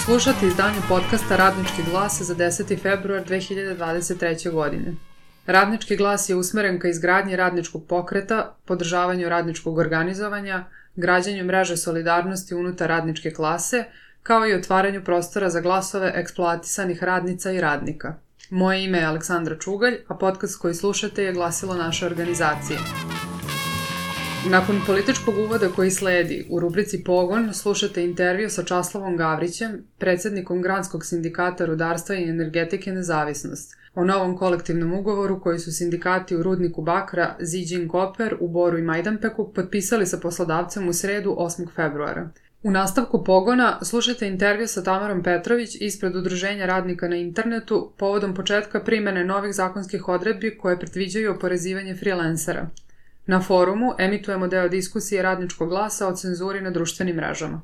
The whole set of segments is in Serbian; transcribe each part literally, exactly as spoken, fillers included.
Slušate izdanje podcasta Radnički glas za deseti februar dve hiljade dvadeset treće. godine. Radnički glas je usmeren ka izgradnji radničkog pokreta, podržavanju radničkog organizovanja, građenju mreže solidarnosti unutar radničke klase, kao i otvaranju prostora za glasove eksploatisanih radnica i radnika. Moje ime je Aleksandra Čugalj, a podcast koji slušate je glasilo naše organizacije. Nakon političkog uvoda koji sledi, u rubrici Pogon slušate intervju sa Časlavom Gavrićem, predsjednikom Granskog sindikata rudarstva i energetike Nezavisnost, o novom kolektivnom ugovoru koji su sindikati u rudniku bakra Ziđin Koper u Boru i Majdanpeku potpisali sa poslodavcem u sredu osmog februara. U nastavku Pogona slušate intervju sa Tamarom Petrović ispred Udruženja radnika na internetu povodom početka primjene novih zakonskih odredbi koje predviđaju oporezivanje freelancera. Na forumu emitujemo deo diskusije Radničkog glasa o cenzuri na društvenim mrežama.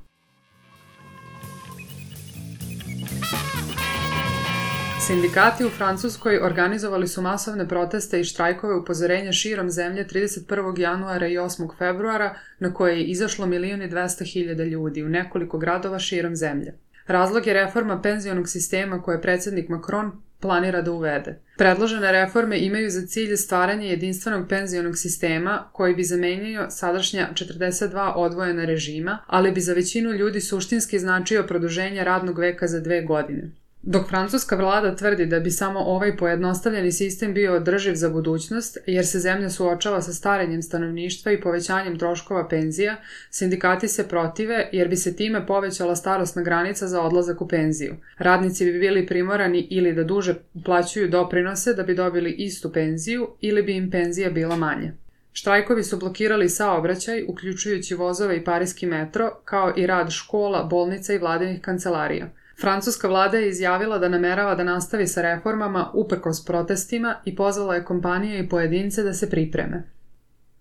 Sindikati u Francuskoj organizovali su masovne proteste i štrajkove upozorenja širom zemlje trideset prvog januara i osmog februara na koje je izašlo milion i dvesta hiljada ljudi u nekoliko gradova širom zemlje. Razlog je reforma penzionog sistema koje predsjednik Macron planira da uvede. Predložene reforme imaju za cilj stvaranje jedinstvenog penzionog sistema koji bi zamenio sadašnja četrdeset dva odvojena režima, ali bi za većinu ljudi suštinski značio produženje radnog veka za dve godine. Dok francuska vlada tvrdi da bi samo ovaj pojednostavljeni sistem bio održiv za budućnost, jer se zemlja suočava sa starenjem stanovništva i povećanjem troškova penzija, sindikati se protive jer bi se time povećala starosna granica za odlazak u penziju. Radnici bi bili primorani ili da duže uplaćuju doprinose da bi dobili istu penziju ili bi im penzija bila manja. Štrajkovi su blokirali saobraćaj, uključujući vozove i parijski metro, kao i rad škola, bolnica i vladinih kancelarija. Francuska vlada je izjavila da namerava da nastavi sa reformama uprkos protestima i pozvala je kompanije i pojedince da se pripreme.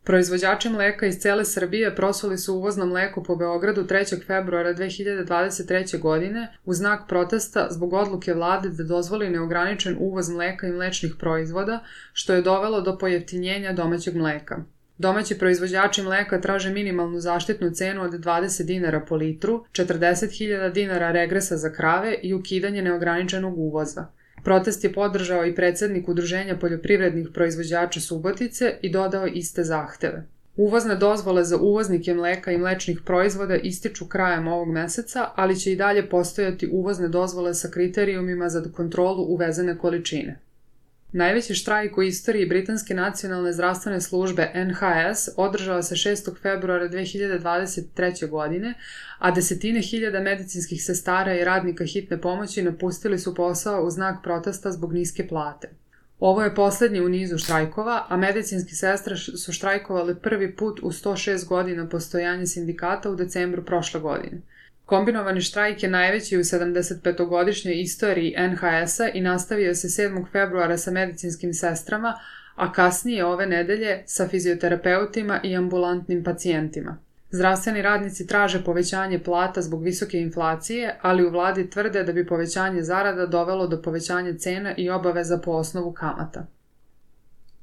Proizvođači mleka iz cele Srbije prosuli su uvozno mleko po Beogradu trećeg februara dve hiljade dvadeset treće. godine u znak protesta zbog odluke vlade da dozvoli neograničen uvoz mleka i mlečnih proizvoda, što je dovelo do pojeftinjenja domaćeg mleka. Domaći proizvođači mleka traže minimalnu zaštitnu cenu od dvadeset dinara po litru, četrdeset hiljada dinara regresa za krave i ukidanje neograničenog uvoza. Protest je podržao i predsjednik Udruženja poljoprivrednih proizvođača Subotice i dodao iste zahteve. Uvozne dozvole za uvoznike mleka i mlečnih proizvoda ističu krajem ovog meseca, ali će i dalje postojati uvozne dozvole sa kriterijumima za kontrolu uvezene količine. Najveći štrajk u istoriji Britanske nacionalne zdravstvene službe N H S održao se šestog februara dve hiljade dvadeset treće. godine, a desetine hiljada medicinskih sestara i radnika hitne pomoći napustili su posao u znak protesta zbog niske plate. Ovo je posljednji u nizu štrajkova, a medicinski sestre su štrajkovali prvi put u sto šest godina postojanja sindikata u decembru prošle godine. Kombinovani štrajk je najveći u sedamdesetpetogodišnjoj istoriji N H S-a i nastavio se sedmog februara sa medicinskim sestrama, a kasnije ove nedelje sa fizioterapeutima i ambulantnim pacijentima. Zdravstveni radnici traže povećanje plata zbog visoke inflacije, ali u vladi tvrde da bi povećanje zarada dovelo do povećanja cena i obaveza po osnovu kamata.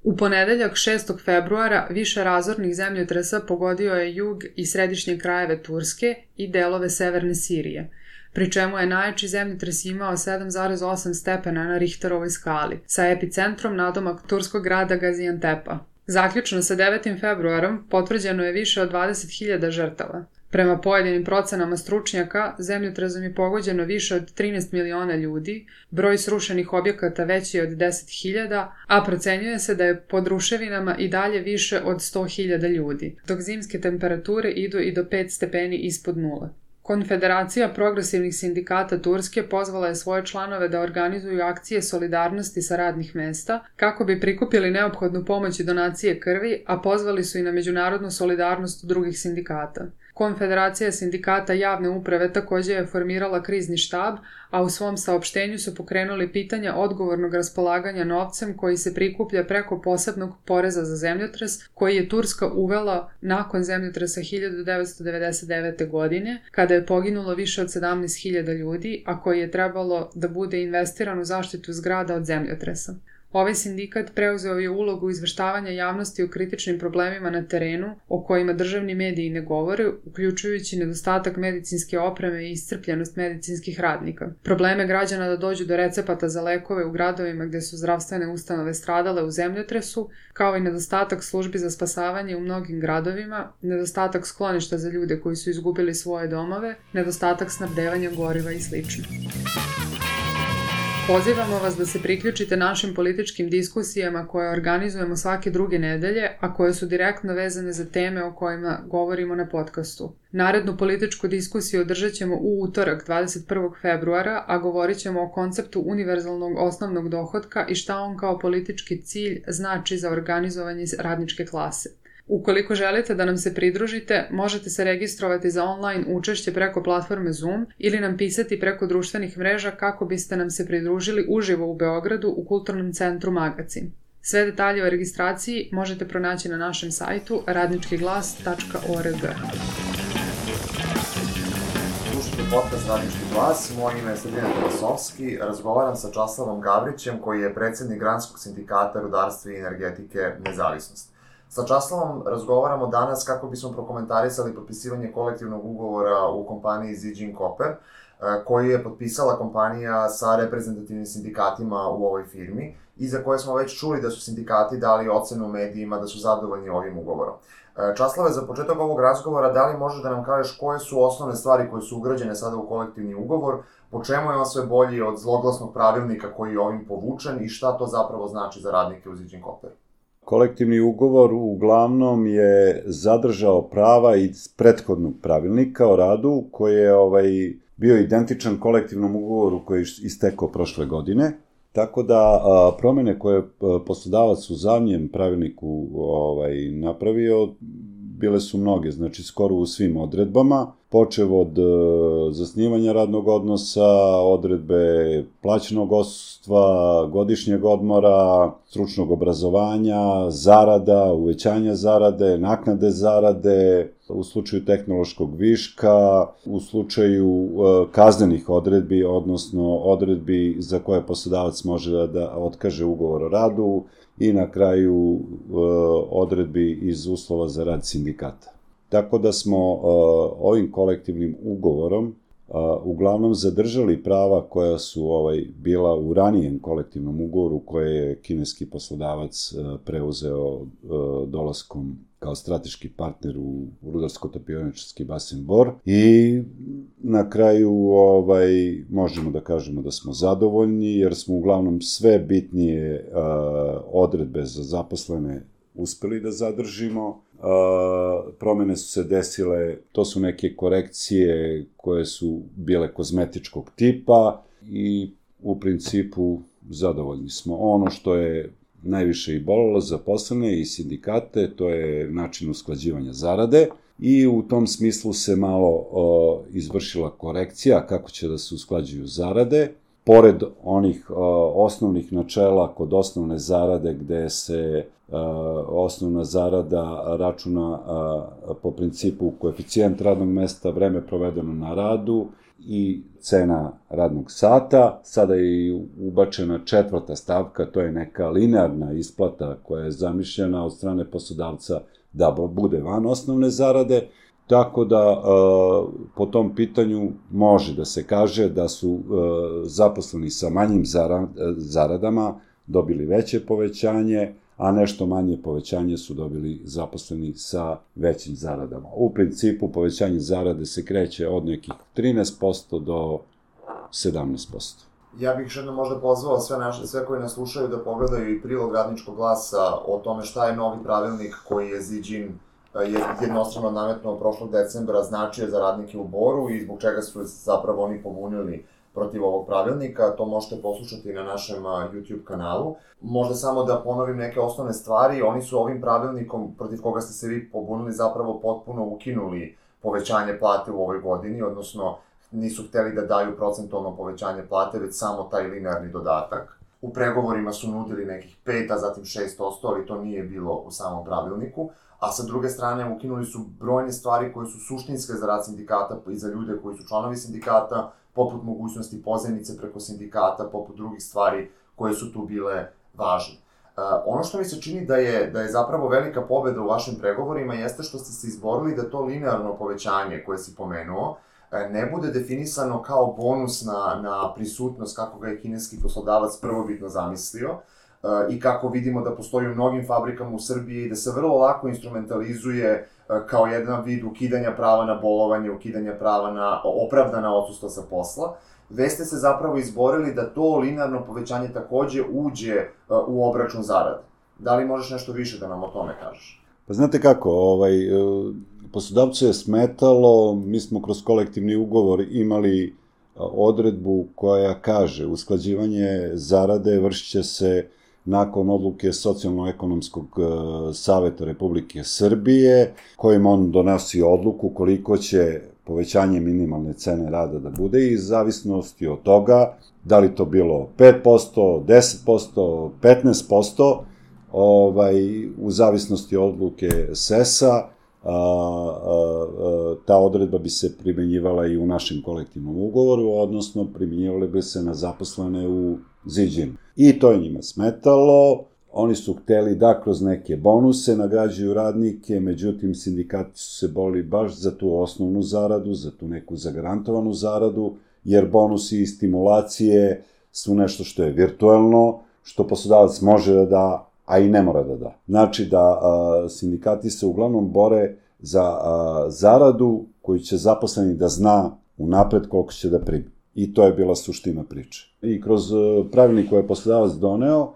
U ponedeljak šestog februara više razornih zemljotresa pogodio je jug i središnje krajeve Turske i delove severne Sirije, pri čemu je najjači zemljotres imao sedam zarez osam stepena na Richterovoj skali, sa epicentrom nadomak turskog grada Gaziantepa. Zaključno sa devetim februarom potvrđeno je više od dvadeset hiljada žrtava. Prema pojedinim procenama stručnjaka, zemljotresom je pogođeno više od trinaest miliona ljudi, broj srušenih objekata veći je od deset hiljada, a procenjuje se da je pod ruševinama i dalje više od sto hiljada ljudi, dok zimske temperature idu i do pet stepeni ispod nule. Konfederacija progresivnih sindikata Turske pozvala je svoje članove da organizuju akcije solidarnosti sa radnih mesta kako bi prikupili neophodnu pomoć i donacije krvi, a pozvali su i na međunarodnu solidarnost drugih sindikata. Konfederacija sindikata javne uprave također je formirala krizni štab, a u svom saopštenju su pokrenuli pitanja odgovornog raspolaganja novcem koji se prikuplja preko posebnog poreza za zemljotres koji je Turska uvela nakon zemljotresa hiljadu devetsto devedeset devete. godine, kada je poginulo više od sedamnaest hiljada ljudi, a koji je trebalo da bude investiran u zaštitu zgrada od zemljotresa. Ovaj sindikat preuzeo je ulogu izveštavanja javnosti o kritičnim problemima na terenu o kojima državni mediji ne govore, uključujući nedostatak medicinske opreme i iscrpljenost medicinskih radnika. Probleme građana da dođu do recepata za lekove u gradovima gde su zdravstvene ustanove stradale u zemljotresu, kao i nedostatak službi za spasavanje u mnogim gradovima, nedostatak skloništa za ljude koji su izgubili svoje domove, nedostatak snabdevanja goriva i sl. Pozivamo vas da se priključite našim političkim diskusijama koje organizujemo svake druge nedelje, a koje su direktno vezane za teme o kojima govorimo na podcastu. Narednu političku diskusiju održat ćemo u utorak dvadeset prvog februara, a govorit ćemo o konceptu univerzalnog osnovnog dohotka i šta on kao politički cilj znači za organizovanje radničke klase. Ukoliko želite da nam se pridružite, možete se registrovati za online učešće preko platforme Zoom ili nam pisati preko društvenih mreža kako biste nam se pridružili uživo u Beogradu u Kulturnom centru Magacin. Sve detalje o registraciji možete pronaći na našem sajtu radnički glas tačka org. Slušajte podcast Radnički glas, moje ime je Sredina Teresovski, razgovaram sa Časlavom Gavrićem koji je predsjednik Granskog sindikata rudarstva i energetike Nezavisnost. Sa Časlavom razgovaramo danas kako bismo prokomentarisali potpisivanje kolektivnog ugovora u kompaniji Zijin Copper, koji je potpisala kompanija sa reprezentativnim sindikatima u ovoj firmi i za koje smo već čuli da su sindikati dali ocenu medijima da su zadovoljni ovim ugovorom. Časlave, za početak ovog razgovora, da li možeš da nam kažeš koje su osnovne stvari koje su ugrađene sada u kolektivni ugovor, po čemu je on sve bolji od zloglasnog pravilnika koji je ovim povučen i šta to zapravo znači za radnike u Zijin Copper? Kolektivni ugovor uglavnom je zadržao prava iz prethodnog pravilnika o radu koji je ovaj, bio identičan kolektivnom ugovoru koji je istekao prošle godine. Tako da a, promene koje poslodavac u zadnjem pravilniku ovaj, napravio bile su mnoge, znači skoro u svim odredbama, počev od e, zasnivanja radnog odnosa, odredbe plaćenog odsustva, godišnjeg odmora, stručnog obrazovanja, zarada, uvećanja zarade, naknade zarade, u slučaju tehnološkog viška, u slučaju e, kaznenih odredbi, odnosno odredbi za koje poslodavac može da, da otkaže ugovor o radu, i na kraju e, odredbi iz uslova za rad sindikata. Tako da smo e, ovim kolektivnim ugovorom e, uglavnom zadržali prava koja su ovaj, bila u ranijem kolektivnom ugovoru koje je kineski poslodavac e, preuzeo e, dolaskom kao strateški partner u rudarsko-topioničarski basen Bor i na kraju ovaj, možemo da kažemo da smo zadovoljni jer smo uglavnom sve bitnije uh, odredbe za zaposlene uspeli da zadržimo. Uh, promene su se desile, to su neke korekcije koje su bile kozmetičkog tipa i u principu zadovoljni smo. Ono što je najviše i bolelo zaposlene i sindikate, to je način usklađivanja zarade i u tom smislu se malo o, izvršila korekcija kako će da se usklađuju zarade. Pored onih o, osnovnih načela kod osnovne zarade gde se o, osnovna zarada računa o, po principu koeficijent radnog mesta, vreme provedeno na radu i cena radnog sata, sada je i ubačena četvrta stavka, to je neka linearna isplata koja je zamišljena od strane poslodavca da bude van osnovne zarade, tako da po tom pitanju može da se kaže da su zaposleni sa manjim zaradama dobili veće povećanje, a nešto manje povećanje su dobili zaposleni sa većim zaradama. U principu povećanje zarade se kreće od nekih trinaest posto do sedamnaest posto. Ja bih još jedno možda pozvao sve naše, sve koji nas slušaju da pogledaju i prilog Radničkog glasa o tome šta je novi pravilnik koji je Zijin jednostrano nametnuo prošlog decembra značio za radnike u Boru i zbog čega su zapravo oni pobunili protiv ovog pravilnika. To možete poslušati na našem YouTube kanalu. Možda samo da ponovim neke osnovne stvari. Oni su ovim pravilnikom protiv koga ste se vi pobunili zapravo potpuno ukinuli povećanje plate u ovoj godini, odnosno nisu hteli da daju procentualno povećanje plate, već samo taj linearni dodatak. U pregovorima su nudili nekih pet, a zatim šest posto, ali to nije bilo u samom pravilniku. A sa druge strane ukinuli su brojne stvari koje su suštinske za rad sindikata i za ljude koji su članovi sindikata, poput mogućnosti pozajmice preko sindikata, poput drugih stvari koje su tu bile važni. Uh, ono što mi se čini da je, da je zapravo velika pobeda u vašim pregovorima jeste što ste se izborili da to linearno povećanje koje si pomenuo ne bude definisano kao bonus na, na prisutnost kako ga je kineski poslodavac prvobitno zamislio uh, i kako vidimo da postoji u mnogim fabrikama u Srbiji i da se vrlo lako instrumentalizuje uh, kao jedan vid ukidanja prava na bolovanje, ukidanja prava na opravdana odsustva sa posla. Već ste se zapravo izborili da to linearno povećanje takođe uđe uh, u obračun zarade. Da li možeš nešto više da nam o tome kažeš? Pa znate kako, ovaj, poslodavcu je smetalo, mi smo kroz kolektivni ugovor imali odredbu koja kaže usklađivanje zarade vršit će se nakon odluke Socijalno-ekonomskog saveta Republike Srbije, kojim on donosi odluku koliko će povećanje minimalne cene rada da bude i zavisnosti od toga da li to bilo pet posto, deset posto, petnaest posto, ovaj, u zavisnosti od odluke S E S A, a, a, a, ta odredba bi se primjenjivala i u našem kolektivnom ugovoru, odnosno primjenjivale bi se na zaposlene u Ziđinu. I to je njima smetalo, oni su hteli da kroz neke bonuse nagrađuju radnike, međutim sindikati su se borili baš za tu osnovnu zaradu, za tu neku zagarantovanu zaradu, jer bonusi i stimulacije su nešto što je virtuelno, što poslodavac može da da, a i ne mora da da. Znači da a, sindikati se uglavnom bore za a, zaradu koju će zaposleni da zna unapred koliko će da primi. I to je bila suština priče. I kroz a, pravilnik koji je poslodavac doneo, a,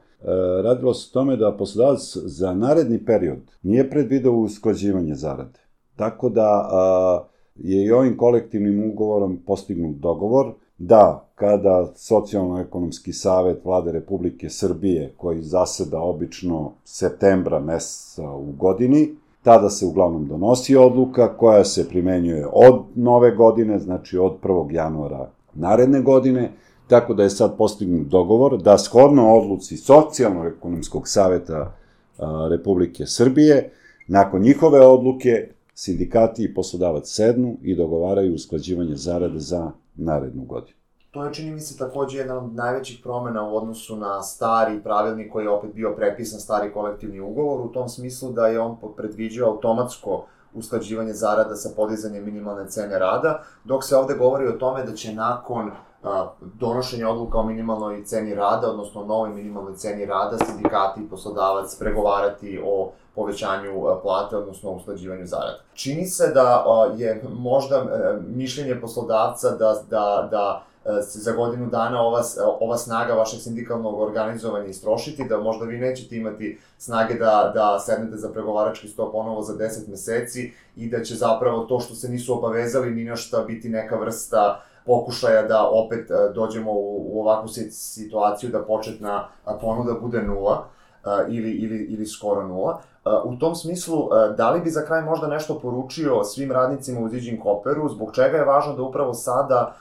radilo se o tome da poslodavac za naredni period nije predvideo usklađivanje zarade. Tako da a, je i ovim kolektivnim ugovorom postignut dogovor da kada Socijalno-ekonomski savet Vlade Republike Srbije, koji zaseda obično septembra meseca u godini, tada se uglavnom donosi odluka koja se primenjuje od nove godine, znači od prvog januara naredne godine, tako da je sad postignut dogovor da shodno odluci Socijalno-ekonomskog saveta a, Republike Srbije, nakon njihove odluke, sindikati i poslodavac sednu i dogovaraju usklađivanje zarade za narednu godinu. To je, čini mi se, takođe jedna od najvećih promena u odnosu na stari pravilnik koji je opet bio prepisan, stari kolektivni ugovor, u tom smislu da je on predviđao automatsko usklađivanje zarada sa podizanjem minimalne cene rada, dok se ovde govori o tome da će nakon a, donošenja odluka o minimalnoj ceni rada, odnosno novoj minimalnoj ceni rada, sindikati i poslodavac pregovarati o povećanju plate, odnosno usklađivanju zarada. Čini se da a, je možda a, mišljenje poslodavca da, da, da se za godinu dana ova, ova snaga vašeg sindikalnog organizovanja istrošiti, da možda vi nećete imati snage da, da sednete za pregovarački sto ponovo za deset meseci i da će zapravo to što se nisu obavezali ni na šta biti neka vrsta pokušaja da opet dođemo u, u ovakvu situaciju da početna ponuda bude nula ili, ili, ili skoro nula. U tom smislu, da li bi za kraj možda nešto poručio svim radnicima u Ziđin Copperu, zbog čega je važno da upravo sada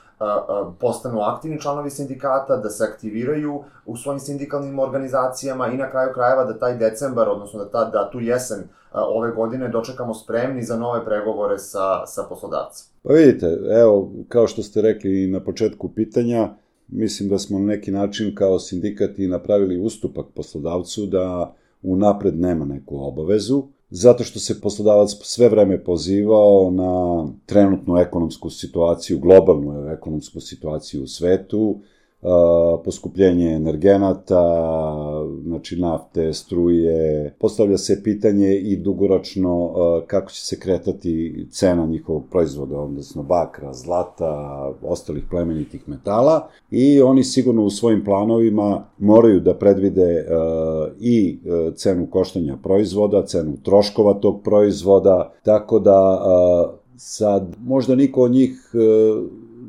postanu aktivni članovi sindikata, da se aktiviraju u svojim sindikalnim organizacijama i na kraju krajeva da taj decembar, odnosno da, ta, da tu jesen ove godine dočekamo spremni za nove pregovore sa, sa poslodavcem? Pa vidite, evo, kao što ste rekli na početku pitanja, mislim da smo na neki način kao sindikati napravili ustupak poslodavcu da unapred nema neku obavezu, zato što se poslodavac sve vreme pozivao na trenutnu ekonomsku situaciju, globalnu ekonomsku situaciju u svetu, poskupljenje energenata, znači nafte, struje. Postavlja se pitanje i dugoročno kako će se kretati cena njihovog proizvoda, odnosno bakra, zlata, ostalih plemenitih metala, i oni sigurno u svojim planovima moraju da predvide i cenu koštanja proizvoda, cenu troškova tog proizvoda, tako da sad možda niko od njih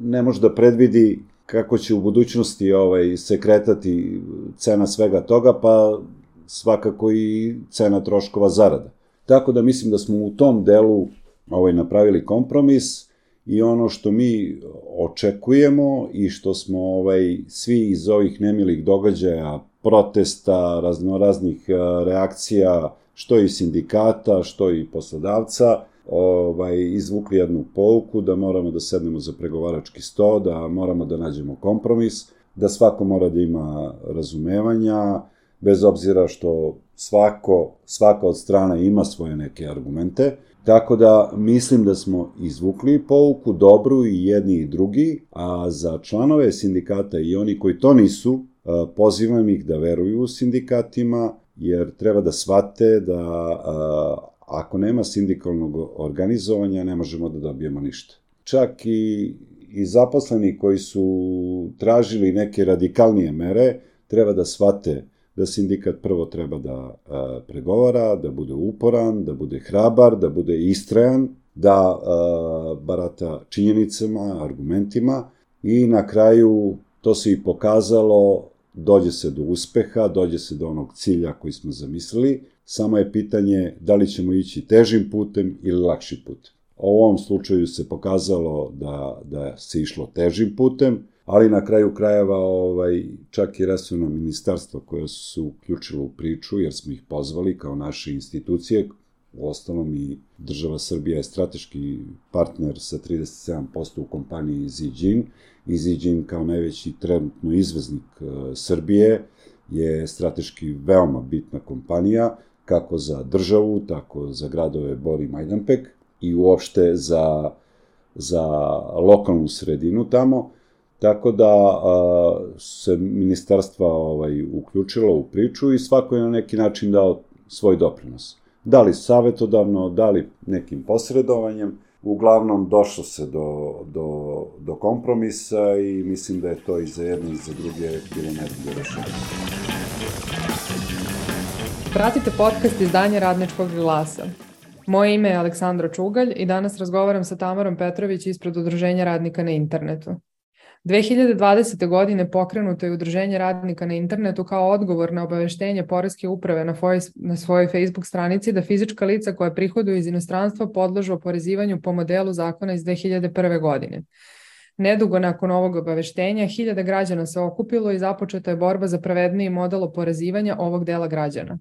ne može da predvidi kako će u budućnosti ovaj, se kretati cena svega toga, pa svakako i cena troškova zarada. Tako da mislim da smo u tom delu ovaj, napravili kompromis i ono što mi očekujemo i što smo ovaj, svi iz ovih nemilih događaja, protesta, raznoraznih reakcija, što i sindikata, što i poslodavca, ovaj, izvukli jednu pouku da moramo da sednemo za pregovarački sto, da moramo da nađemo kompromis, da svako mora da ima razumevanja, bez obzira što svako, svaka od strana ima svoje neke argumente. Tako da mislim da smo izvukli pouku dobru i jedni i drugi, a za članove sindikata i oni koji to nisu, pozivam ih da veruju sindikatima, jer treba da shvate da ako nema sindikalnog organizovanja ne možemo da dobijemo ništa. Čak i, i zaposleni koji su tražili neke radikalnije mere, treba da shvate da sindikat prvo treba da a, pregovara, da bude uporan, da bude hrabar, da bude istrajan, da a, barata činjenicama, argumentima i na kraju to se i pokazalo, dođe se do uspeha, dođe se do onog cilja koji smo zamislili, samo je pitanje da li ćemo ići težim putem ili lakši putem. U ovom slučaju se pokazalo da, da se išlo težim putem, ali na kraju krajeva ovaj, čak i resorno ministarstvo koje su se uključilo u priču, jer smo ih pozvali kao naše institucije, u ostalom i država Srbija je strateški partner sa trideset sedam posto u kompaniji Ziđin, i Ziđin kao najveći trenutno izvoznik Srbije je strateški veoma bitna kompanija, kako za državu, tako za gradove Bor i Majdanpek i uopšte za, za lokalnu sredinu tamo. Tako da a, se ministarstva ovaj, uključilo u priču i svako je na neki način dao svoj doprinos. Da li savjetodavno, da li nekim posredovanjem, uglavnom došlo se do, do, do kompromisa i mislim da je to i za jedne i za druge bilo najbolje rešenje. Pratite podcast izdanja Radničkog glasa. Moje ime je Aleksandra Čugalj i danas razgovaram sa Tamarom Petrović ispred Udruženja radnika na internetu. dve hiljade dvadesete. godine pokrenuto je Udruženje radnika na internetu kao odgovor na obaveštenje Poreske uprave na, foj, na svojoj Facebook stranici da fizička lica koja prihoduju iz inostranstva podložu oporezivanju po modelu zakona iz dve hiljade prve. godine. Nedugo nakon ovog obaveštenja, hiljade građana se okupilo i započeta je borba za pravedniji model oporezivanja ovog dela građana.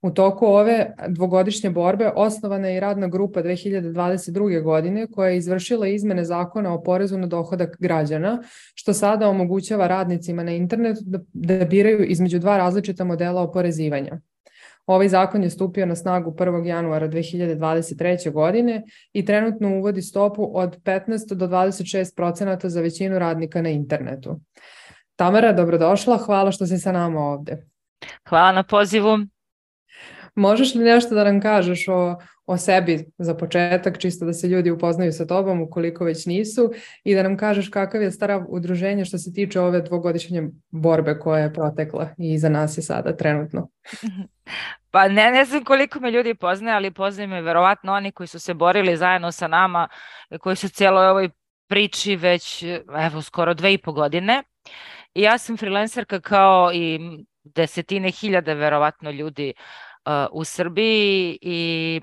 U toku ove dvogodišnje borbe osnovana je i radna grupa dve hiljade dvadeset druge. godine koja je izvršila izmene zakona o porezu na dohodak građana, što sada omogućava radnicima na internetu da, da biraju između dva različita modela oporezivanja. Ovaj zakon je stupio na snagu prvog januara dve hiljade dvadeset treće. godine i trenutno uvodi stopu od petnaest do dvadeset šest procenata za većinu radnika na internetu. Tamara, dobrodošla, hvala što si sa nama ovde. Hvala na pozivu. Možeš li nešto da nam kažeš o, o sebi za početak, čisto da se ljudi upoznaju sa tobom, ukoliko već nisu, i da nam kažeš kakav je starav udruženje što se tiče ove dvogodišnje borbe koja je protekla i iza nas je sada trenutno? Pa ne, ne znam koliko me ljudi poznaje, ali poznaju me verovatno oni koji su se borili zajedno sa nama, koji su cijeloj ovoj priči već evo skoro dve i po godine. I ja sam freelancerka kao i desetine hiljada verovatno ljudi u Srbiji i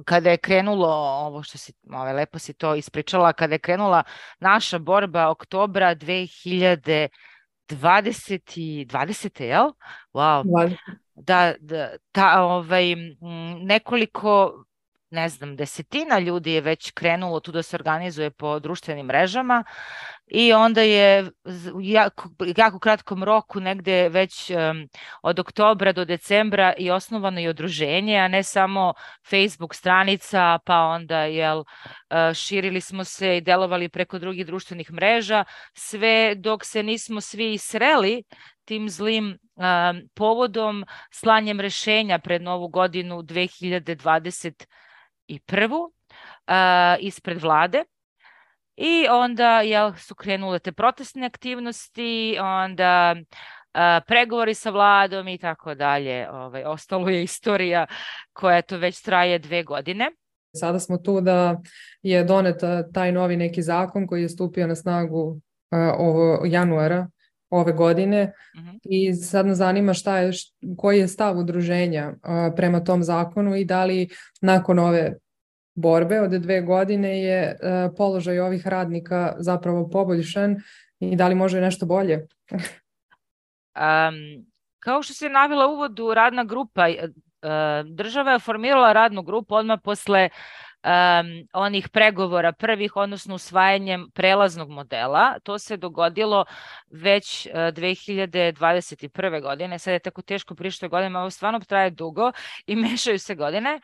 kada je krenulo ovo što si, ove, lepo si to ispričala, kada je krenula naša borba oktobra dve hiljade dvadesete. jel? Wow. Da, da, ta, ovaj, nekoliko, ne znam, desetina ljudi je već krenulo tu da se organizuje po društvenim mrežama i onda je u jako, jako kratkom roku, negde već um, od oktobra do decembra i osnovano i udruženje, a ne samo Facebook stranica, pa onda jel, širili smo se i delovali preko drugih društvenih mreža, sve dok se nismo svi sreli tim zlim um, povodom slanjem rešenja pred novu godinu dve hiljade dvadeset prve. Uh, ispred vlade. I onda jel, su krenule te protestne aktivnosti, onda uh, pregovori sa vladom i tako dalje. Ovaj, ostalo je istorija koja to već traje dve godine. Sada smo tu da je donet taj novi neki zakon koji je stupio na snagu uh, ovo januara ove godine. Uh-huh. I sad nas zanima šta je, koji je stav udruženja uh, prema tom zakonu i da li nakon ove borbe od dve godine je uh, položaj ovih radnika zapravo poboljšan i da li može nešto bolje? um, kao što se navela u uvodu, radna grupa, uh, država je formirala radnu grupu odmah posle um, onih pregovora prvih, odnosno usvajanjem prelaznog modela. To se dogodilo već uh, dve hiljade dvadeset prve. godine. Sad je tako teško pričati o godinama, ovo stvarno traje dugo i mešaju se godine.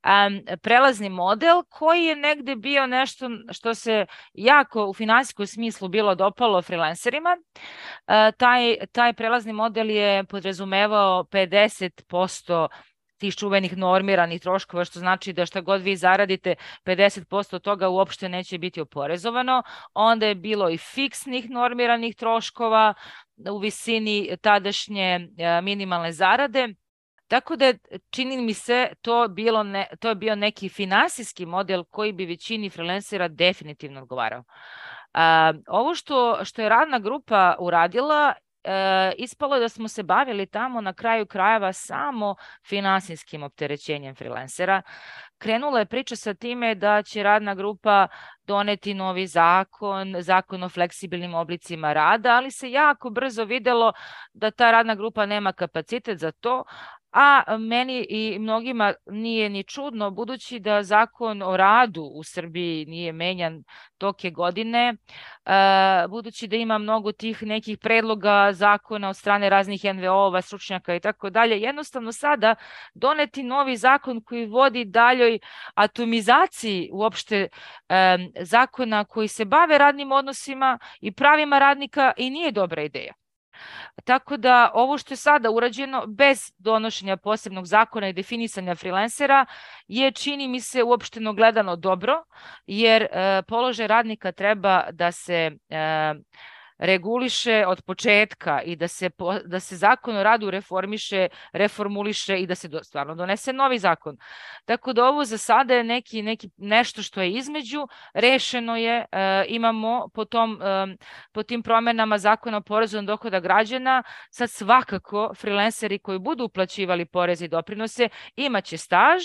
Um, prelazni model koji je negde bio nešto što se jako u finansijskom smislu bilo dopalo freelancerima. Uh, taj, taj prelazni model je podrazumevao pedeset posto tih čuvenih normiranih troškova, što znači da šta god vi zaradite, pedeset posto toga uopšte neće biti oporezovano. Onda je bilo i fiksnih normiranih troškova u visini tadašnje minimalne zarade. Tako da čini mi se to, bilo ne, to je bio neki finansijski model koji bi većini freelancera definitivno odgovarao. A, ovo što, što je radna grupa uradila, E, ispalo je da smo se bavili tamo na kraju krajeva samo finansijskim opterećenjem freelancera. Krenula je priča sa time da će radna grupa doneti novi zakon, zakon o fleksibilnim oblicima rada, ali se jako brzo videlo da ta radna grupa nema kapacitet za to, a meni i mnogima nije ni čudno, budući da zakon o radu u Srbiji nije menjan toke godine, budući da ima mnogo tih nekih predloga zakona od strane raznih en ve o-ova, stručnjaka i tako dalje. Jednostavno sada doneti novi zakon koji vodi daljoj atomizaciji uopšte zakona koji se bave radnim odnosima i pravima radnika i nije dobra ideja. Tako da ovo što je sada urađeno bez donošenja posebnog zakona i definisanja freelancera je, čini mi se, uopšteno gledano dobro, jer e, položaj radnika treba da se e, reguliše od početka i da se, da se zakon o radu reformiše, reformuliše i da se do, stvarno donese novi zakon. Tako da ovo za sada je neki, neki, nešto što je između, rešeno je, e, imamo po, tom, e, po tim promenama zakona o porezu na dohodak građana, sad svakako freelanceri koji budu uplaćivali poreze i doprinose imaće staž.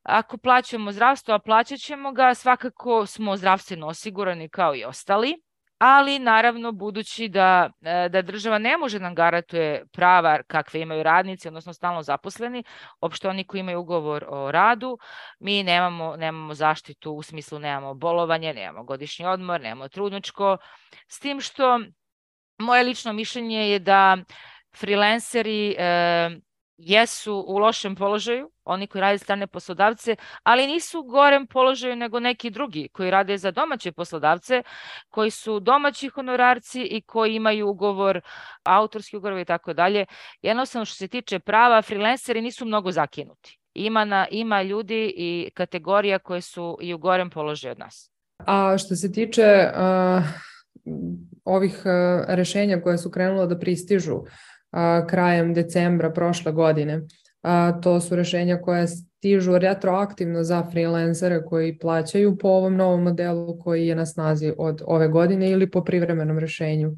Ako plaćamo zdravstvo, a plaćat ćemo ga, svakako smo zdravstveno osigurani kao i ostali. Ali naravno, budući da, da država ne može nam garantuje prava kakve imaju radnici, odnosno stalno zaposleni, opšte oni koji imaju ugovor o radu, mi nemamo, nemamo zaštitu, u smislu nemamo bolovanje, nemamo godišnji odmor, nemamo trudničko, s tim što moje lično mišljenje je da freelanceri e, jesu u lošem položaju, oni koji rade strane poslodavce, ali nisu u gorem položaju nego neki drugi koji rade za domaće poslodavce, koji su domaći honorarci i koji imaju ugovor, autorski ugovor i tako dalje. Jednostavno što se tiče prava, freelanceri nisu mnogo zakinuti. Ima, na, ima ljudi i kategorija koje su i u gorem položaju od nas. A što se tiče uh, ovih uh, rešenja koje su krenula da pristižu uh, krajem decembra prošle godine, Uh, to su rešenja koja stižu retroaktivno za freelancere koji plaćaju po ovom novom modelu koji je na snazi od ove godine ili po privremenom rešenju.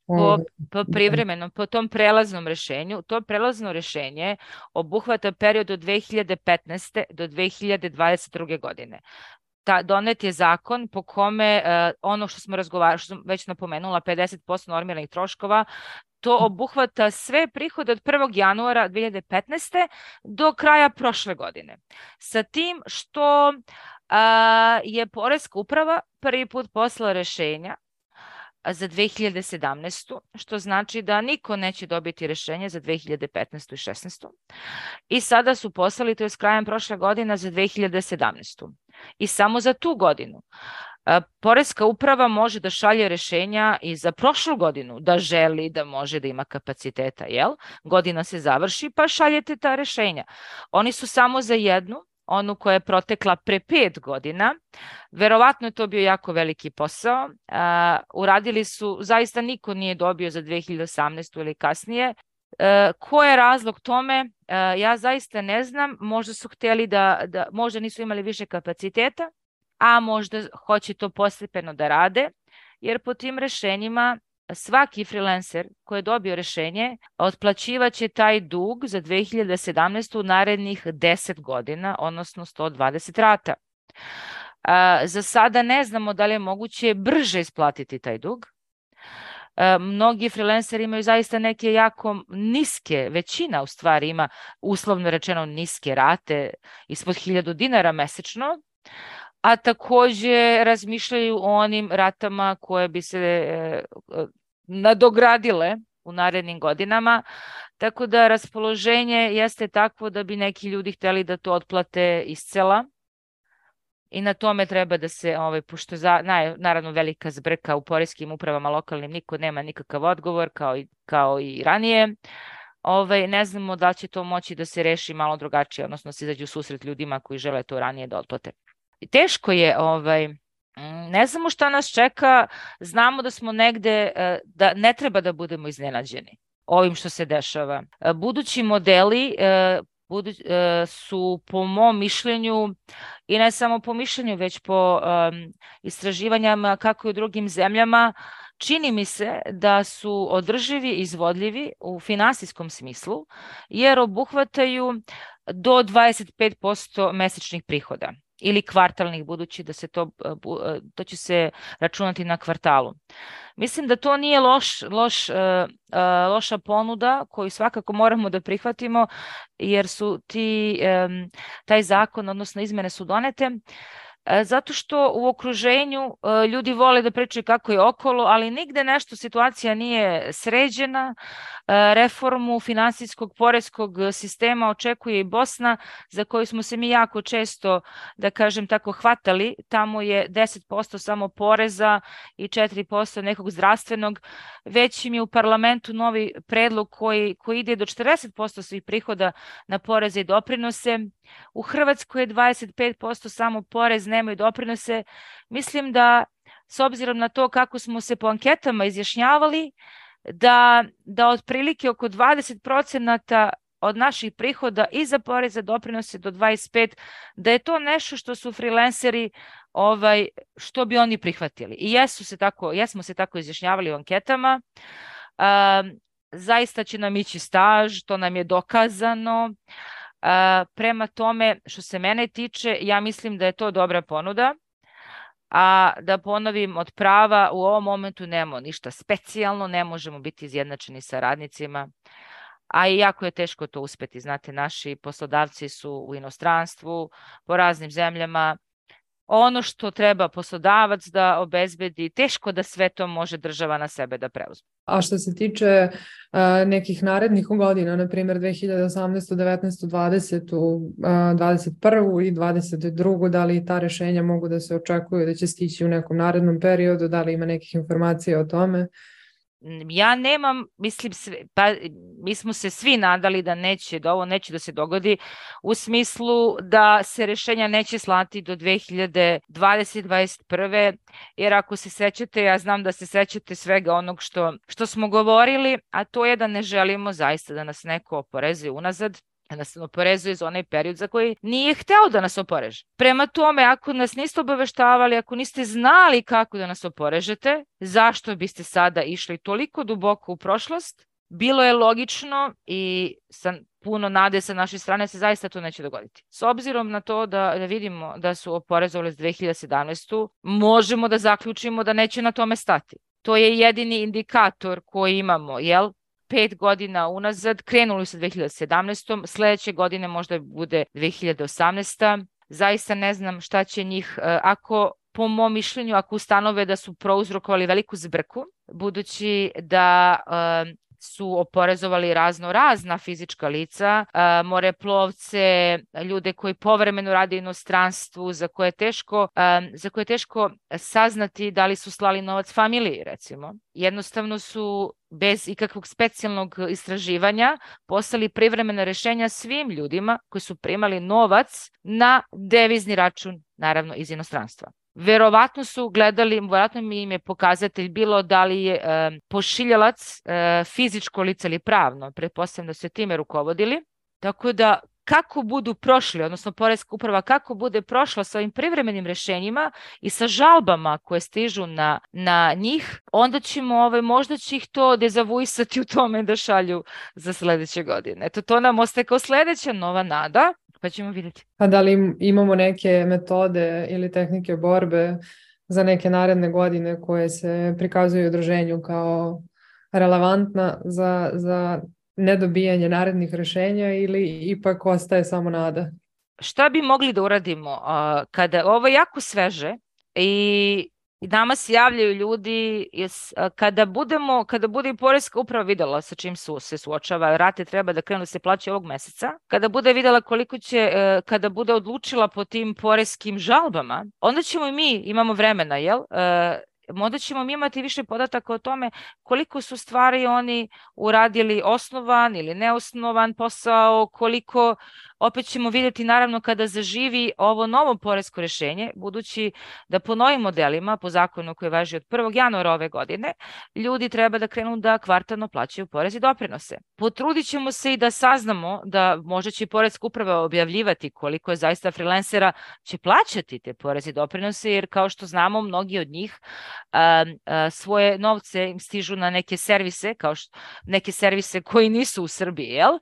Po, po privremenom, po tom prelaznom rešenju. To prelazno rešenje obuhvata period od dve hiljade petnaeste do dve hiljade dvadeset druge. godine. Ta, donet je zakon po kome uh, ono što smo razgovarali, što sam već napomenula, pedeset posto normiranih troškova, to obuhvata sve prihode od prvog januara dve hiljade petnaeste. do kraja prošle godine. Sa tim što a, je Poreska uprava prvi put poslala rešenja za dve hiljade sedamnaestu. što znači da niko neće dobiti rešenje za dve hiljade petnaestu i šesnaestu. I sada su poslali, to je s krajem prošle godine, za dve hiljade sedamnaestu. I samo za tu godinu. Poreska uprava može da šalje rešenja i za prošlu godinu, da želi, da može, da ima kapaciteta, jel? Godina se završi, pa šaljete ta rešenja. Oni su samo za jednu, onu koja je protekla pre pet godina. Verovatno je to bio jako veliki posao. Uh, uradili su, zaista niko nije dobio za dve hiljade osamnaestu. ili kasnije. Uh, ko je razlog tome? Uh, ja zaista ne znam. Možda su hteli da, da, možda nisu imali više kapaciteta, a možda hoće to postepeno da rade, jer po tim rešenjima svaki freelancer koji je dobio rešenje otplaćivaće taj dug za dve hiljade sedamnaestu. u narednih deset godina, odnosno sto dvadeset rata. A, za sada ne znamo da li je moguće brže isplatiti taj dug. A, mnogi freelanceri imaju zaista neke jako niske, većina u stvari ima uslovno rečeno niske rate, ispod hiljadu dinara mesečno. a takođe razmišljaju o onim ratama koje bi se e, nadogradile u narednim godinama, tako da raspoloženje jeste takvo da bi neki ljudi hteli da to otplate iscela i na tome treba da se, ovaj, pošto za, na, naravno velika zbrka u poreskim upravama lokalnim, niko nema nikakav odgovor kao i, kao i ranije, ovaj, ne znamo da će to moći da se reši malo drugačije, odnosno se izađu u susret ljudima koji žele to ranije da otplate. Teško je, ovaj, ne znamo šta nas čeka, znamo da smo negde, da ne treba da budemo iznenađeni ovim što se dešava. Budući modeli budu, su po mom mišljenju, i ne samo po mišljenju, već po um, istraživanjama kako i u drugim zemljama, čini mi se da su održivi i izvodljivi u finansijskom smislu, jer obuhvataju do dvadeset pet posto mesečnih prihoda ili kvartalnih, budući da se to, to će se računati na kvartalu. Mislim da to nije loš, loš, loša ponuda koju svakako moramo da prihvatimo, jer su ti, taj zakon, odnosno izmene su donete, zato što u okruženju ljudi vole da pričaju kako je okolo, ali nigde nešto situacija nije sređena. Reformu finansijskog poreskog sistema očekuje i Bosna, za koju smo se mi jako često, da kažem tako, hvatali. Tamo je deset posto samo poreza i četiri posto nekog zdravstvenog. Već im je u parlamentu novi predlog koji, koji ide do četrdeset posto svih prihoda na poreze i doprinose. U Hrvatskoj je dvadeset pet posto samo porez, nemaju doprinose. Mislim da, s obzirom na to kako smo se po anketama izjašnjavali, da, da otprilike oko dvadeset procenata od naših prihoda i za poreze doprinose do dvadeset pet, da je to nešto što su freelanceri, ovaj, što bi oni prihvatili. I jesu se tako, jesmo se tako izjašnjavali u anketama. Um, zaista će nam ići staž, to nam je dokazano. Uh, prema tome, što se mene tiče, ja mislim da je to dobra ponuda, a da ponovim, od prava u ovom momentu nemamo ništa specijalno, ne možemo biti izjednačeni sa radnicima, a i jako je teško to uspeti. Znate, naši poslodavci su u inostranstvu, po raznim zemljama. Ono što treba poslodavac da obezbedi, teško da sve to može država na sebe da preuzme. A što se tiče uh, nekih narednih godina, na primjer dve hiljade osamnaestu, devetnaestu, dvadesetu, uh, dvadeset prvu i dvadeset drugu, da li ta rešenja mogu da se očekuju da će stići u nekom narednom periodu, da li ima nekih informacija o tome? Ja nemam, mislim, sve, pa mi smo se svi nadali da neće, da ovo neće da se dogodi, u smislu da se rešenja neće slati do dve hiljade dvadesete, dvadeset prve. Jer ako se sećate, ja znam da se sećate svega onog što, što smo govorili, a to je da ne želimo zaista da nas neko oporezuje unazad, da nas oporezuje za onaj period za koji nije hteo da nas oporeže. Prema tome, ako nas niste obaveštavali, ako niste znali kako da nas oporežete, zašto biste sada išli toliko duboko u prošlost? Bilo je logično i sa puno nade sa naše strane se zaista to neće dogoditi. S obzirom na to da, da vidimo da su oporezovali s dve hiljade sedamnaestu, možemo da zaključimo da neće na tome stati. To je jedini indikator koji imamo, jel? Pet godina unazad, krenuli su dve hiljade sedamnaestom, sledeće godine možda bude dve hiljade osamnaesta. Zaista ne znam šta će njih, ako, po mom mišljenju, ako ustanove da su prouzrokovali veliku zbrku, budući da uh, su oporezovali razno razna fizička lica, uh, moreplovce, ljude koji povremeno rade u inostranstvu, za koje je teško, uh, za koje je teško saznati da li su slali novac familiji, recimo. Jednostavno su bez ikakvog specijalnog istraživanja poslali privremena rešenja svim ljudima koji su primali novac na devizni račun, naravno iz inostranstva. Verovatno su gledali, verovatno mi im je pokazatelj bilo da li je e, pošiljalac e, fizičko lice ili pravno, pretpostavljam da su time rukovodili, tako da kako budu prošli, odnosno poreska uprava kako bude prošla sa ovim privremenim rešenjima i sa žalbama koje stižu na, na njih, onda ćemo, ovaj, možda će ih to dezavuisati u tome da šalju za sledeće godine. Eto, to nam ostaje kao sledeća nova nada, pa ćemo vidjeti. A da li imamo neke metode ili tehnike borbe za neke naredne godine koje se prikazuju udruženju kao relevantna za, za nedobijanje narednih rešenja ili ipak ostaje samo nada? šta bi mogli da uradimo? Uh, kada ovo je jako sveže i I nama se javljaju ljudi, kada budemo, kada bude i poreska uprava videla sa čim su se suočava, rate treba da krenu da se plaća ovog meseca, kada bude videla koliko će, kada bude odlučila po tim poreskim žalbama, onda ćemo i mi, imamo vremena, jel? Onda ćemo mi imati više podataka o tome koliko su stvari oni uradili osnovan ili neosnovan posao, koliko, opet ćemo vidjeti naravno kada zaživi ovo novo poresko rešenje, budući da po novim modelima, po zakonu koji važi od prvog januara ove godine, ljudi treba da krenu da kvartalno plaćaju porez i doprinose. Potrudit ćemo se i da saznamo da možda će poreska uprava objavljivati koliko je zaista freelancera će plaćati te porez i doprinose, jer kao što znamo, mnogi od njih a, a, svoje novce im stižu na neke servise, kao što, neke servise koji nisu u Srbiji, jel?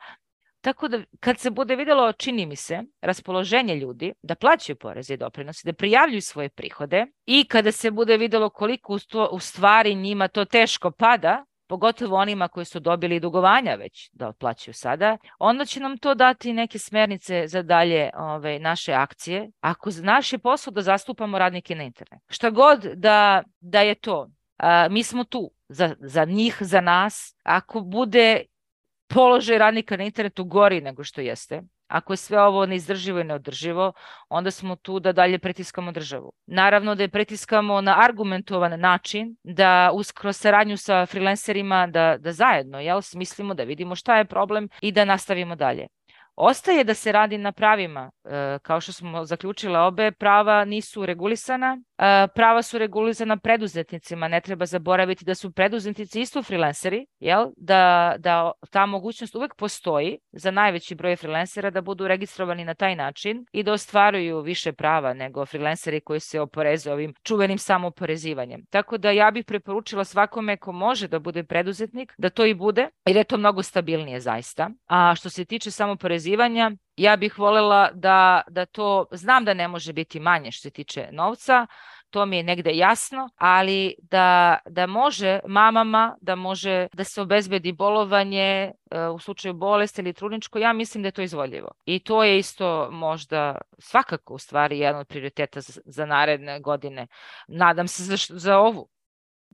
Tako da kad se bude videlo, čini mi se, raspoloženje ljudi da plaćaju poreze i doprinose, da prijavljuju svoje prihode i kada se bude videlo koliko u stvari njima to teško pada, pogotovo onima koji su dobili dugovanja već da otplaćaju sada, onda će nam to dati neke smernice za dalje ove, naše akcije. Ako naš je posao da zastupamo radnike na internet. Šta god da, da je to, a, mi smo tu za, za njih, za nas. Ako bude položaj radnika na internetu gori nego što jeste, ako je sve ovo neizdrživo i neodrživo, onda smo tu da dalje pritiskamo državu. Naravno da je pritiskamo na argumentovan način, da uskroz saradnju sa freelancerima, da, da zajedno jel, smislimo, da vidimo šta je problem i da nastavimo dalje. Ostaje da se radi na pravima, e, kao što smo zaključile, obe prava nisu regulisana, e, prava su regulisana preduzetnicima, ne treba zaboraviti da su preduzetnici isto freelanceri, jel? Da, da ta mogućnost uvek postoji za najveći broj freelancera da budu registrovani na taj način i da ostvaruju više prava nego freelanceri koji se oporezuju ovim čuvenim samooporezivanjem. Tako da ja bih preporučila svakome ko može da bude preduzetnik, da to i bude, jer je to mnogo stabilnije zaista. A što se tiče samooporezivanja, ja bih voljela da, da to, znam da ne može biti manje što se tiče novca, to mi je negde jasno, ali da, da može mamama, da može da se obezbedi bolovanje uh, u slučaju bolesti ili trudničko, ja mislim da je to izvodljivo. I to je isto možda svakako u stvari jedan od prioriteta za, za naredne godine. Nadam se za, za ovu.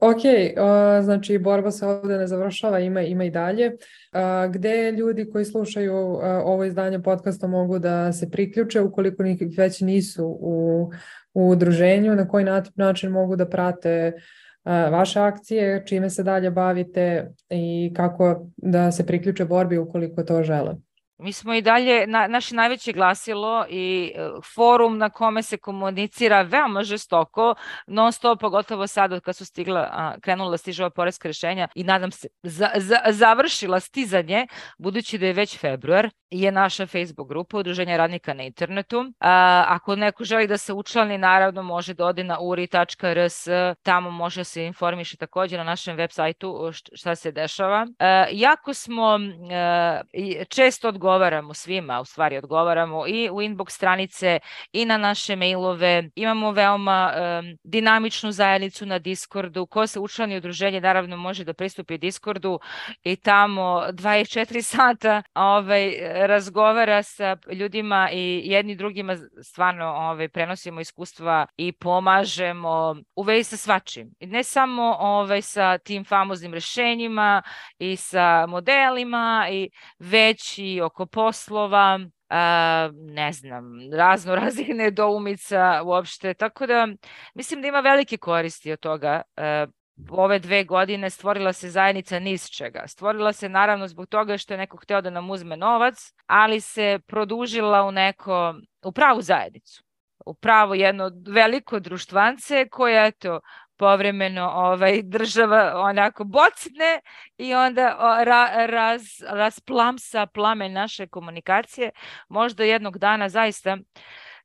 Ok, uh, znači borba se ovdje ne završava, ima, ima i dalje. Uh, gde ljudi koji slušaju uh, ovo izdanje podcasta mogu da se priključe ukoliko već nisu u, u udruženju, na koji način mogu da prate uh, vaše akcije, čime se dalje bavite i kako da se priključe borbi ukoliko to žele? Mi smo i dalje, na, naše najveće glasilo i uh, forum na kome se komunicira veoma žestoko, non stop, pogotovo sad kad su stigla, a, krenula stižava poreska rešenja i nadam se za, za, završila stizanje, budući da je već februar, je naša Facebook grupa Udruženja radnika na internetu. A, ako neko želi da se učlani, naravno može da ode na u r i tačka r s, tamo može se informiše također na našem web sajtu šta se dešava. A, jako smo a, često odgovaramo svima, u stvari odgovaramo i u inbox stranice i na naše mailove. Imamo veoma um, dinamičnu zajednicu na Discordu. Ko se učlani u udruženje naravno može da pristupi Discordu i tamo dvadeset četiri sata ovaj, razgovara sa ljudima i jedni drugima stvarno ovaj, prenosimo iskustva i pomažemo u vezi sa svačim. I ne samo ovaj, sa tim famoznim rešenjima i sa modelima, i već i oko poslova, a, ne znam, razno raznih nedoumica uopšte. Tako da mislim da ima velike koristi od toga. A, ove dve godine stvorila se zajednica niz čega. Stvorila se naravno zbog toga što je neko hteo da nam uzme novac, ali se produžila u neko, u pravu zajednicu. U pravo jedno veliko društvance koje, eto, povremeno ovaj, država onako bocne i onda ra, raz, rasplamsa plamen naše komunikacije. Možda jednog dana zaista,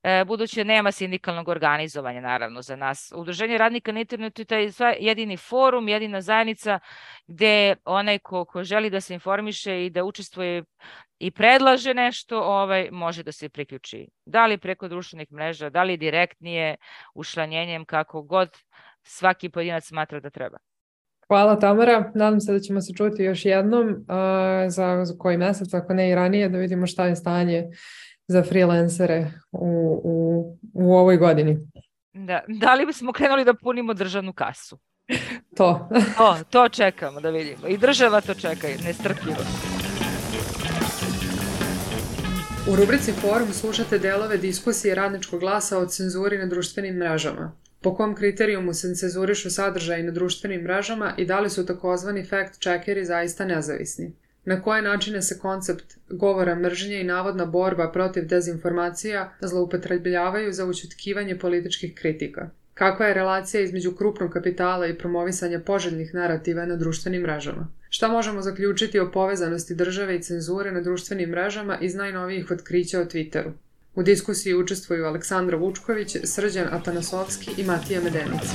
e, budući nema sindikalnog organizovanja naravno za nas. Udruženje radnika na internetu je taj jedini forum, jedina zajednica gde onaj ko, ko želi da se informiše i da učestvuje i predlaže nešto, ovaj, može da se priključi. Da li preko društvenih mreža, da li direktnije, učlanjenjem, kako god svaki pojedinac smatra da treba. Hvala Tamara, nadam se da ćemo se čuti još jednom uh, za, za koji mesec, ako ne i ranije, da vidimo šta je stanje za freelancere u, u, u ovoj godini. Da, da li bismo krenuli da punimo državnu kasu? To. to. To čekamo da vidimo. I država to čeka, nestrpljivo. U rubrici Forum slušate delove diskusije Radničkog glasa o cenzuri na društvenim mrežama. Po kom kriterijumu se cenzurišu sadržaji na društvenim mrežama i da li su takozvani fact-checkeri zaista nezavisni? Na koje načine se koncept govora mržnje i navodna borba protiv dezinformacija zloupotrebljavaju za ućutkivanje političkih kritika? Kakva je relacija između krupnog kapitala i promovisanja poželjnih narativa na društvenim mrežama? Šta možemo zaključiti o povezanosti države i cenzure na društvenim mrežama iz najnovijih otkrića o Twitteru? U diskusiji učestvuju Aleksandra Vučković, Srđan Atanasovski i Matija Medenici.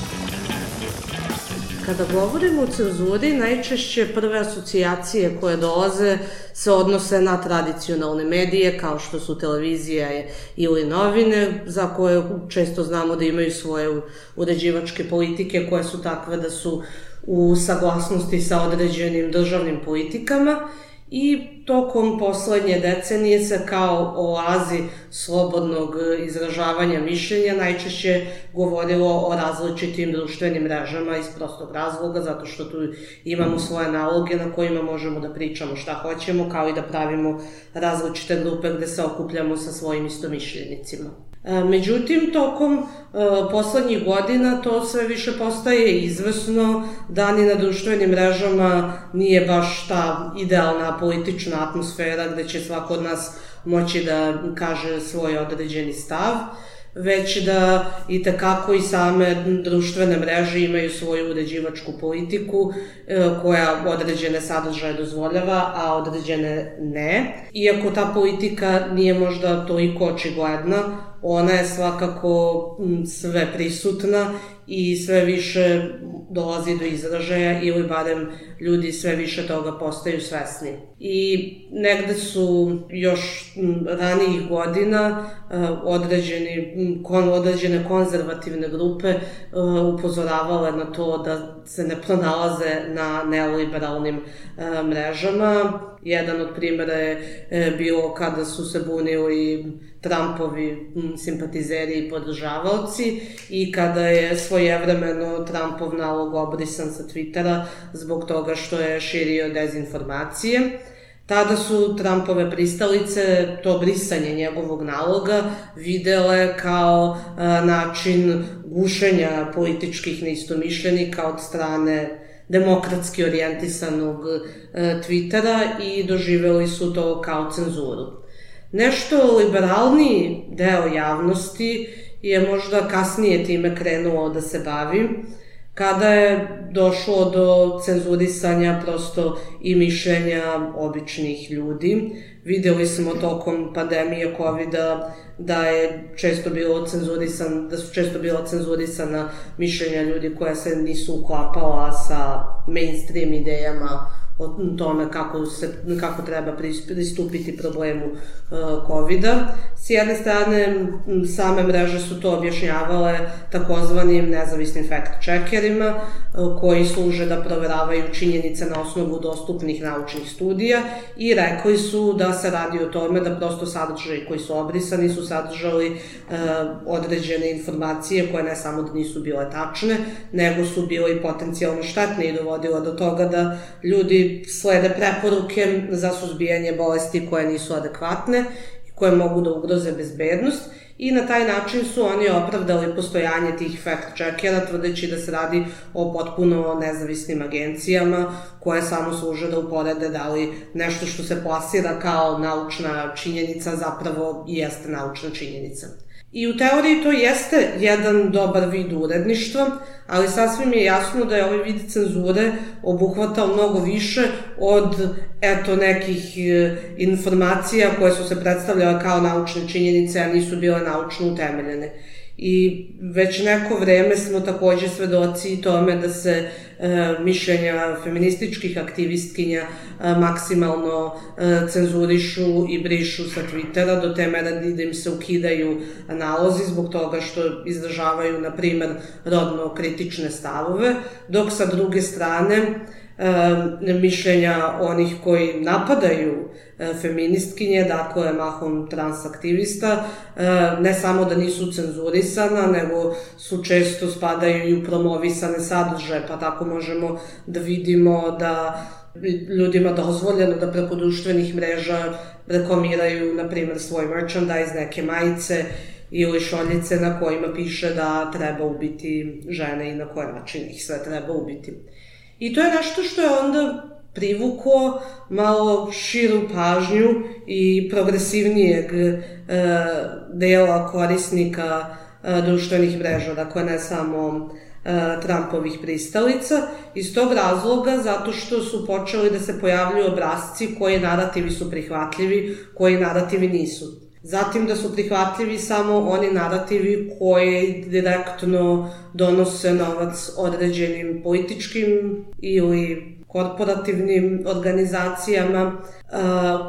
Kada govorimo o cenzuri, najčešće prve asocijacije koje dolaze se odnose na tradicionalne medije, kao što su televizija ili novine, za koje često znamo da imaju svoje uređivačke politike koje su takve da su u saglasnosti sa određenim državnim politikama, i tokom poslednje decenije se kao oazi slobodnog izražavanja mišljenja najčešće govorilo o različitim društvenim mrežama iz prostog razloga, zato što tu imamo svoje naloge na kojima možemo da pričamo šta hoćemo, kao i da pravimo različite grupe gde se okupljamo sa svojim istomišljenicima. Međutim, tokom poslednjih godina to sve više postaje izvesno da ni na društvenim mrežama nije baš ta idealna politična atmosfera gde će svako od nas moći da kaže svoj određeni stav, već da i tekako i same društvene mreže imaju svoju uređivačku politiku koja određene sadržaje dozvoljava, a određene ne. Iako ta politika nije možda toliko očigledna, ona je svakako sve prisutna i sve više dolazi do izražaja ili barem ljudi sve više toga postaju svesni. I negde su još ranijih godina određeni, određene konzervativne grupe upozoravale na to da se ne pronalaze na neoliberalnim mrežama. Jedan od primjera je bilo kada su se bunili Trumpovi simpatizeri i podržavaoci i kada je svojevremeno Trumpov nalog obrisan sa Twittera zbog toga što je širio dezinformacije. Tada su Trumpove pristalice to brisanje njegovog naloga videle kao način gušenja političkih neistomišljenika od strane demokratski orijentisanog Twittera i doživeli su to kao cenzuru. Nešto liberalniji deo javnosti je možda kasnije time krenuo da se bavi, kada je došlo do cenzurisanja prosto i mišljenja običnih ljudi. Videli smo tokom pandemije kovida da je često bilo cenzurisan, da su često bila cenzurisana mišljenja ljudi koja se nisu uklapala sa mainstream idejama o tome kako, se, kako treba pristupiti problemu uh, kovida. S jedne strane, same mreže su to objašnjavale takozvanim nezavisnim fact-checkerima uh, koji služe da proveravaju činjenice na osnovu dostupnih naučnih studija i rekli su da se radi o tome da prosto sadržaji koji su obrisani su sadržali uh, određene informacije koje ne samo da nisu bile tačne, nego su bile i potencijalno štetne i dovodile do toga da ljudi slede preporuke za suzbijanje bolesti koje nisu adekvatne i koje mogu da ugroze bezbednost i na taj način su oni opravdali postojanje tih fact-checkera tvrdeći da se radi o potpuno nezavisnim agencijama koje samo služe da uporede da li nešto što se plasira kao naučna činjenica zapravo i jeste naučna činjenica. I u teoriji to jeste jedan dobar vid uredništva, ali sasvim je jasno da je ovaj vid cenzure obuhvatao mnogo više od eto nekih informacija koje su se predstavljale kao naučne činjenice, a nisu bile naučno utemeljene. I već neko vreme smo takođe svedoci tome da se e, mišljenja feminističkih aktivistkinja e, maksimalno e, cenzurišu i brišu sa Twittera do te mere da im se ukidaju nalozi zbog toga što izražavaju, na primer, rodno kritične stavove, dok sa druge strane e, mišljenja onih koji napadaju e, feministkinje, dakle mahom transaktivista, e, ne samo da nisu cenzurisana, nego su često spadaju i u promovisane sadržaje, pa tako možemo da vidimo da ljudima dozvoljeno da preko društvenih mreža reklamiraju, na primjer, svoj merchandise, neke majice ili šoljice na kojima piše da treba ubiti žene i na koji način ih sve treba ubiti. I to je nešto što je onda privuklo malo širu pažnju i progresivnijeg e, dela korisnika e, društvenih mreža, dakle ne samo e, Trumpovih pristalica. Iz tog razloga, zato što su počeli da se pojavljuju obrasci koji narativi su prihvatljivi, koji narativi nisu. Zatim da su prihvatljivi samo oni narativi koji direktno donose novac određenim političkim ili korporativnim organizacijama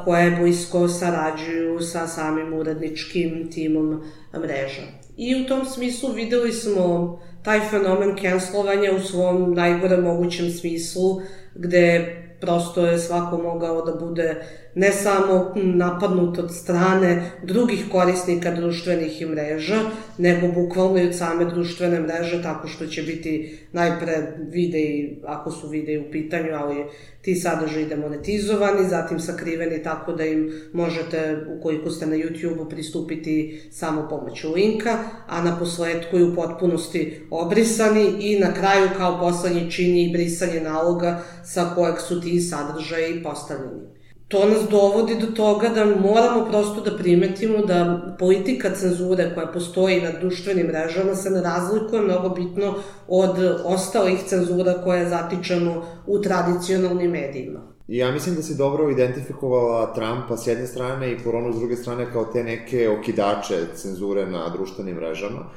koje blisko sarađuju sa samim uredničkim timom mreža. I u tom smislu videli smo taj fenomen cancelovanja u svom najgore mogućem smislu, gde prosto je svako mogao da bude ne samo napadnut od strane drugih korisnika društvenih mreža, nego bukvalno i od same društvene mreže, tako što će biti najpre videi, ako su videi u pitanju, ali ti sadržaji demonetizovani, zatim sakriveni tako da im možete, ukoliko ste na YouTube-u, pristupiti samo pomoću linka, a na posledku i u potpunosti obrisani i na kraju kao poslednji čin i brisanje naloga sa kojeg su ti sadržaji postavljeni. To nas dovodi do toga da moramo prosto da primetimo da politika cenzure koja postoji na društvenim mrežama se ne razlikuje mnogo bitno od ostalih cenzura koje zatičemo u tradicionalnim medijima. Ja mislim da si dobro identifikovala Trumpa s jedne strane i koronu s druge strane kao te neke okidače cenzure na društvenim mrežama.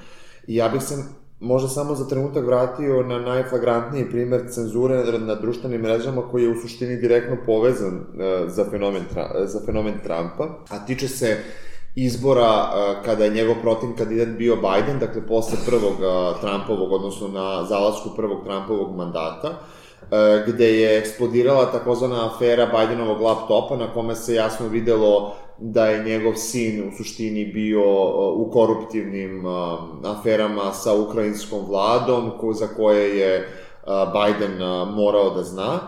I ja bih se možda samo za trenutak vratio na najflagrantniji primer cenzure na društvenim mrežama koji je u suštini direktno povezan za fenomen, za fenomen Trumpa, a tiče se izbora kada je njegov protiv kandidat bio Biden, dakle posle prvog Trumpovog, odnosno na zalasku prvog Trumpovog mandata, gde je eksplodirala takozvana afera Bidenovog laptopa na kome se jasno videlo da je njegov sin u suštini bio u koruptivnim aferama sa ukrajinskom vladom za koje je Biden morao da zna.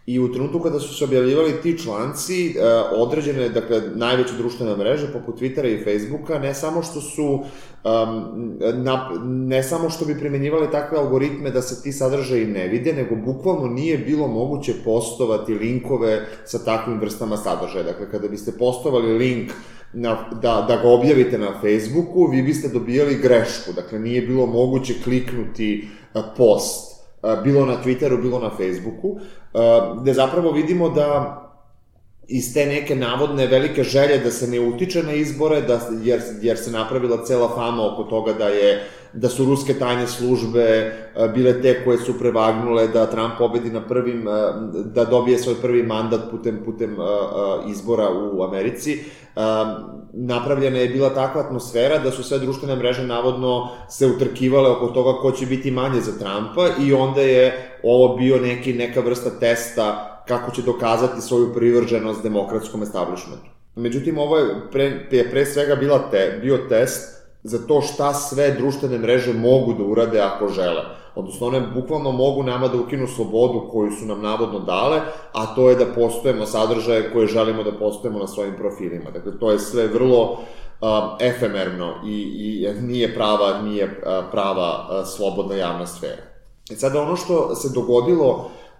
I u trenutku kada su se objavljivali ti članci, određene, dakle, najveće društvene mreže, poput Twittera i Facebooka, ne samo što su, um, na, ne samo što bi primenjivali takve algoritme da se ti sadržaji ne vide, nego bukvalno nije bilo moguće postovati linkove sa takvim vrstama sadržaja. Dakle, kada biste postovali link na, da, da ga objavite na Facebooku, vi biste dobijali grešku. Dakle, nije bilo moguće kliknuti post, bilo na Twitteru, bilo na Facebooku, gde zapravo vidimo da iz te neke navodne velike želje da se ne utiče na izbore, da, jer, jer se napravila cela fama oko toga da je da su ruske tajne službe bile te koje su prevagnule da Trump pobedi na prvim, da dobije svoj prvi mandat putem, putem izbora u Americi. Napravljena je bila takva atmosfera da su sve društvene mreže navodno se utrkivale oko toga ko će biti manje za Trumpa i onda je ovo bio neki, neka vrsta testa kako će dokazati svoju privrženost demokratskom establishmentu. Međutim, ovo je pre, je pre svega bila te, bio test za to šta sve društvene mreže mogu da urade ako žele. Odnosno, one bukvalno mogu nama da ukinu slobodu koju su nam navodno dale, a to je da postojemo sadržaje koje želimo da postojemo na svojim profilima. Dakle, to je sve vrlo uh, efemerno i, i nije prava, nije uh, prava uh, slobodna javna sfera. I sada ono što se dogodilo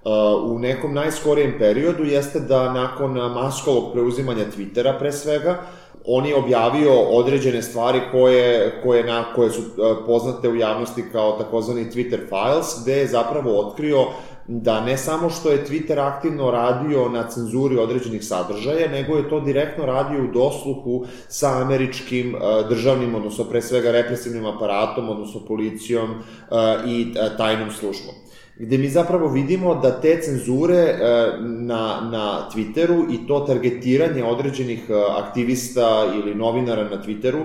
uh, u nekom najskorijem periodu jeste da nakon maskovog preuzimanja Twittera pre svega, on je objavio određene stvari koje, koje, na, koje su poznate u javnosti kao takozvani Twitter files, gde je zapravo otkrio da ne samo što je Twitter aktivno radio na cenzuri određenih sadržaja, nego je to direktno radio u dosluhu sa američkim državnim, odnosno pre svega represivnim aparatom, odnosno policijom i tajnom službom. Gde mi zapravo vidimo da te cenzure na, na Twitteru i to targetiranje određenih aktivista ili novinara na Twitteru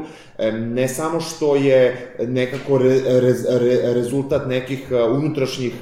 ne samo što je nekako re, re, re, rezultat nekih unutrašnjih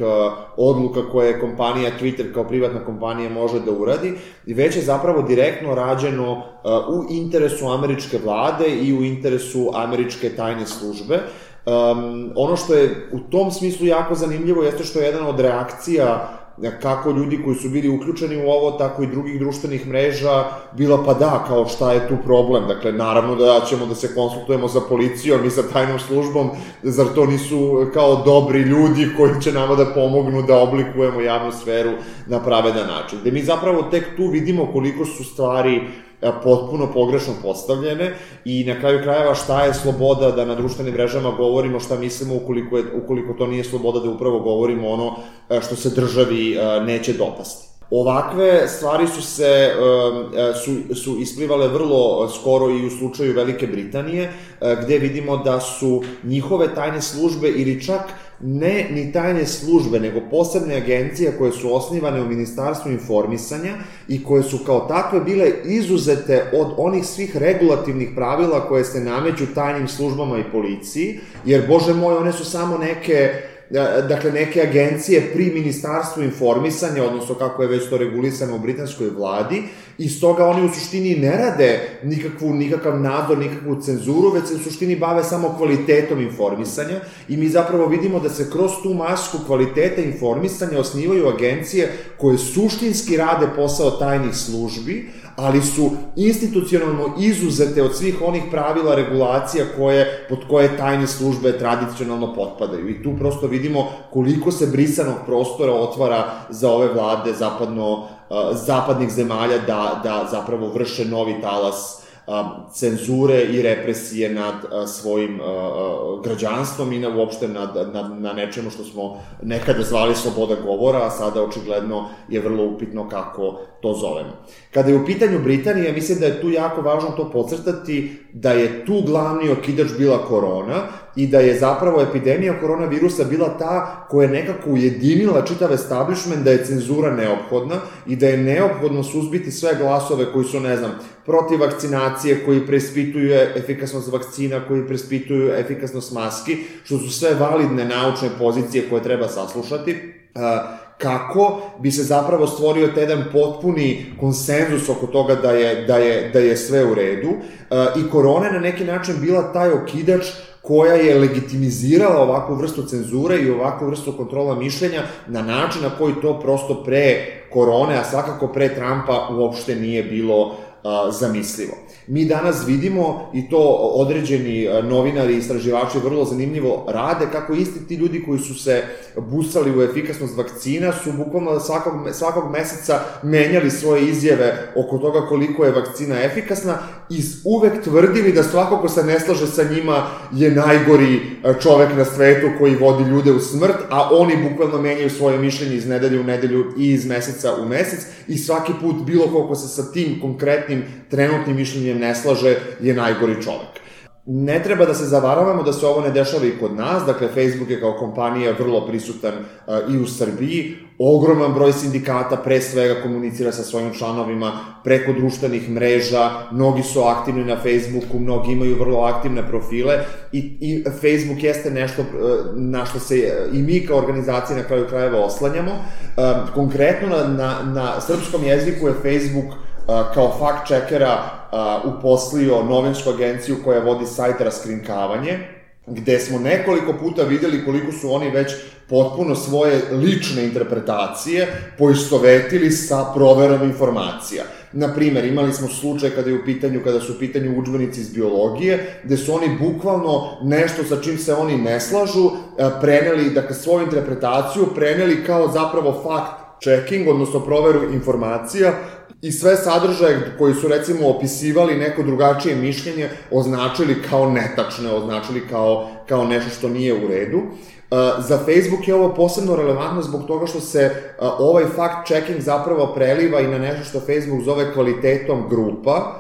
odluka koje kompanija Twitter kao privatna kompanija može da uradi, već je zapravo direktno rađeno u interesu američke vlade i u interesu američke tajne službe. Um, ono što je u tom smislu jako zanimljivo jeste što je jedna od reakcija kako ljudi koji su bili uključeni u ovo, tako i drugih društvenih mreža, bila pa da, kao šta je tu problem. Dakle, naravno da ćemo da se konsultujemo sa policijom i sa tajnom službom, zar to nisu kao dobri ljudi koji će nama da pomognu da oblikujemo javnu sferu na pravedan način. Gde mi zapravo tek tu vidimo koliko su stvari potpuno pogrešno postavljene i na kraju krajeva šta je sloboda da na društvenim mrežama govorimo šta mislimo ukoliko, je, ukoliko to nije sloboda da upravo govorimo ono što se državi neće dopasti. Ovakve stvari su se, su, su isplivale vrlo skoro i u slučaju Velike Britanije, gde vidimo da su njihove tajne službe ili čak ne ni tajne službe, nego posebne agencije koje su osnivane u Ministarstvu informisanja i koje su kao takve bile izuzete od onih svih regulativnih pravila koje se nameću tajnim službama i policiji, jer, bože moj, one su samo neke dakle, neke agencije pri Ministarstvu informisanja, odnosno kako je već to regulisano u britanskoj vladi, i stoga oni u suštini ne rade nikakvu, nikakav nadzor, nikakvu cenzuru, već se u suštini bave samo kvalitetom informisanja i mi zapravo vidimo da se kroz tu masku kvaliteta informisanja osnivaju agencije koje suštinski rade posao tajnih službi, ali su institucionalno izuzete od svih onih pravila regulacija koje, pod koje tajne službe tradicionalno potpadaju. I tu prosto vidimo koliko se brisanog prostora otvara za ove vlade zapadno, zapadnih zemalja da, da zapravo vrše novi talas cenzure i represije nad svojim građanstvom i na, uopšte nad, nad, na nečemu što smo nekada zvali sloboda govora, a sada očigledno je vrlo upitno kako to zovemo. Kada je u pitanju Britanije, mislim da je tu jako važno to podcrtati da je tu glavni okidač bila korona i da je zapravo epidemija koronavirusa bila ta koja je nekako ujedinila čitav establishment da je cenzura neophodna i da je neophodno suzbiti sve glasove koji su, ne znam, protiv vakcinacije, koji preispituju efikasnost vakcina, koji preispituju efikasnost maski, što su sve validne naučne pozicije koje treba saslušati, kako bi se zapravo stvorio taj jedan potpuni konsenzus oko toga da je, da je, da je sve u redu. I korona je na neki način bila taj okidač koja je legitimizirala ovakvu vrstu cenzure i ovakvu vrstu kontrola mišljenja na način na koji to prosto pre korone, a svakako pre Trumpa uopšte nije bilo zamislivo. Mi danas vidimo, i to određeni novinari i istraživači vrlo zanimljivo rade, kako isti ti ljudi koji su se busali u efikasnost vakcina su bukvalno svakog, svakog meseca menjali svoje izjave oko toga koliko je vakcina efikasna i uvek tvrdili da svako ko se ne slaže sa njima je najgori čovek na svetu koji vodi ljude u smrt, a oni bukvalno menjaju svoje mišljenje iz nedelje u nedelju i iz meseca u mesec i svaki put bilo koliko se sa tim konkretnim trenutnim mišljenjem ne slaže je najgori čovek. Ne treba da se zavaravamo da se ovo ne dešava i kod nas, dakle Facebook je kao kompanija vrlo prisutan uh, i u Srbiji, ogroman broj sindikata pre svega komunicira sa svojim članovima preko društvenih mreža, mnogi su aktivni na Facebooku, mnogi imaju vrlo aktivne profile i, i Facebook jeste nešto uh, na što se i mi kao organizacija na kraju krajeva oslanjamo. Uh, konkretno na, na, na srpskom jeziku je Facebook kao fact-checkera uposlio novinsku agenciju koja vodi sajt Raskrinkavanje, gde smo nekoliko puta videli koliko su oni već potpuno svoje lične interpretacije poistovetili sa proverom informacija. Naprimer, imali smo slučaj kada je u pitanju, kada su u pitanju udžbenici iz biologije, gde su oni bukvalno nešto sa čim se oni ne slažu, preneli, dakle, svoju interpretaciju preneli kao zapravo fact-checking, odnosno proveru informacija, i sve sadržaje koji su, recimo, opisivali neko drugačije mišljenje, označili kao netačne, označili kao, kao nešto što nije u redu. Za Facebook je ovo posebno relevantno zbog toga što se ovaj fact-checking zapravo preliva i na nešto što Facebook zove kvalitetom grupa.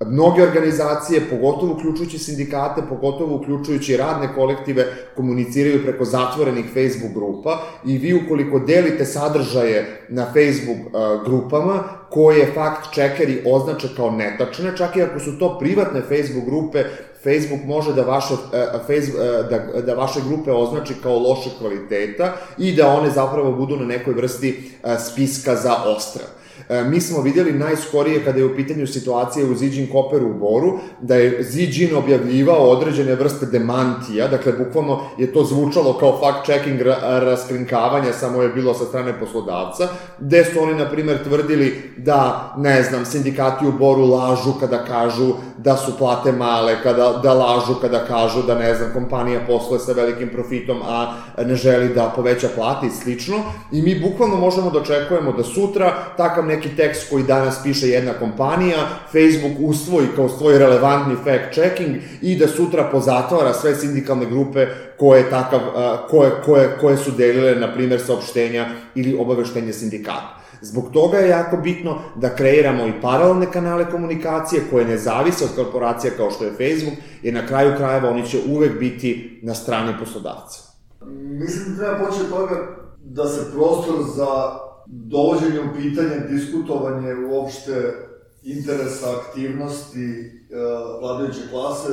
Mnoge organizacije, pogotovo uključujući sindikate, pogotovo uključujući radne kolektive, komuniciraju preko zatvorenih Facebook grupa i vi ukoliko delite sadržaje na Facebook uh, grupama, koje fact-checkeri označe kao netačne, čak i ako su to privatne Facebook grupe, Facebook može da vaše, da, da vaše grupe označi kao loše kvaliteta i da one zapravo budu na nekoj vrsti spiska za odstrel. Mi smo vidjeli najskorije kada je u pitanju situacije u Ziđin Koperu u Boru, da je Ziđin objavljivao određene vrste demantija, dakle, bukvalno je to zvučalo kao fact-checking raskrinkavanja, samo je bilo sa strane poslodavca, gde su oni, na primer, tvrdili da, ne znam, sindikati u Boru lažu kada kažu da su plate male, kada, da lažu kada kažu da, ne znam, kompanija posluje sa velikim profitom, a ne želi da poveća plate i slično, i mi bukvalno možemo da očekujemo da sutra takav neki tekst koji danas piše jedna kompanija, Facebook usvoji kao svoj relevantni fact-checking i da sutra pozatvara sve sindikalne grupe koje, takav, koje, koje, koje su delile, na primjer, saopštenja ili obaveštenje sindikata. Zbog toga je jako bitno da kreiramo i paralelne kanale komunikacije koje ne zavise od korporacija kao što je Facebook, jer na kraju krajeva oni će uvek biti na strani poslodavca. Mislim da treba poći od toga da se prostor za dovođenje u pitanje, diskutovanje uopšte interesa, aktivnosti vladajuće klase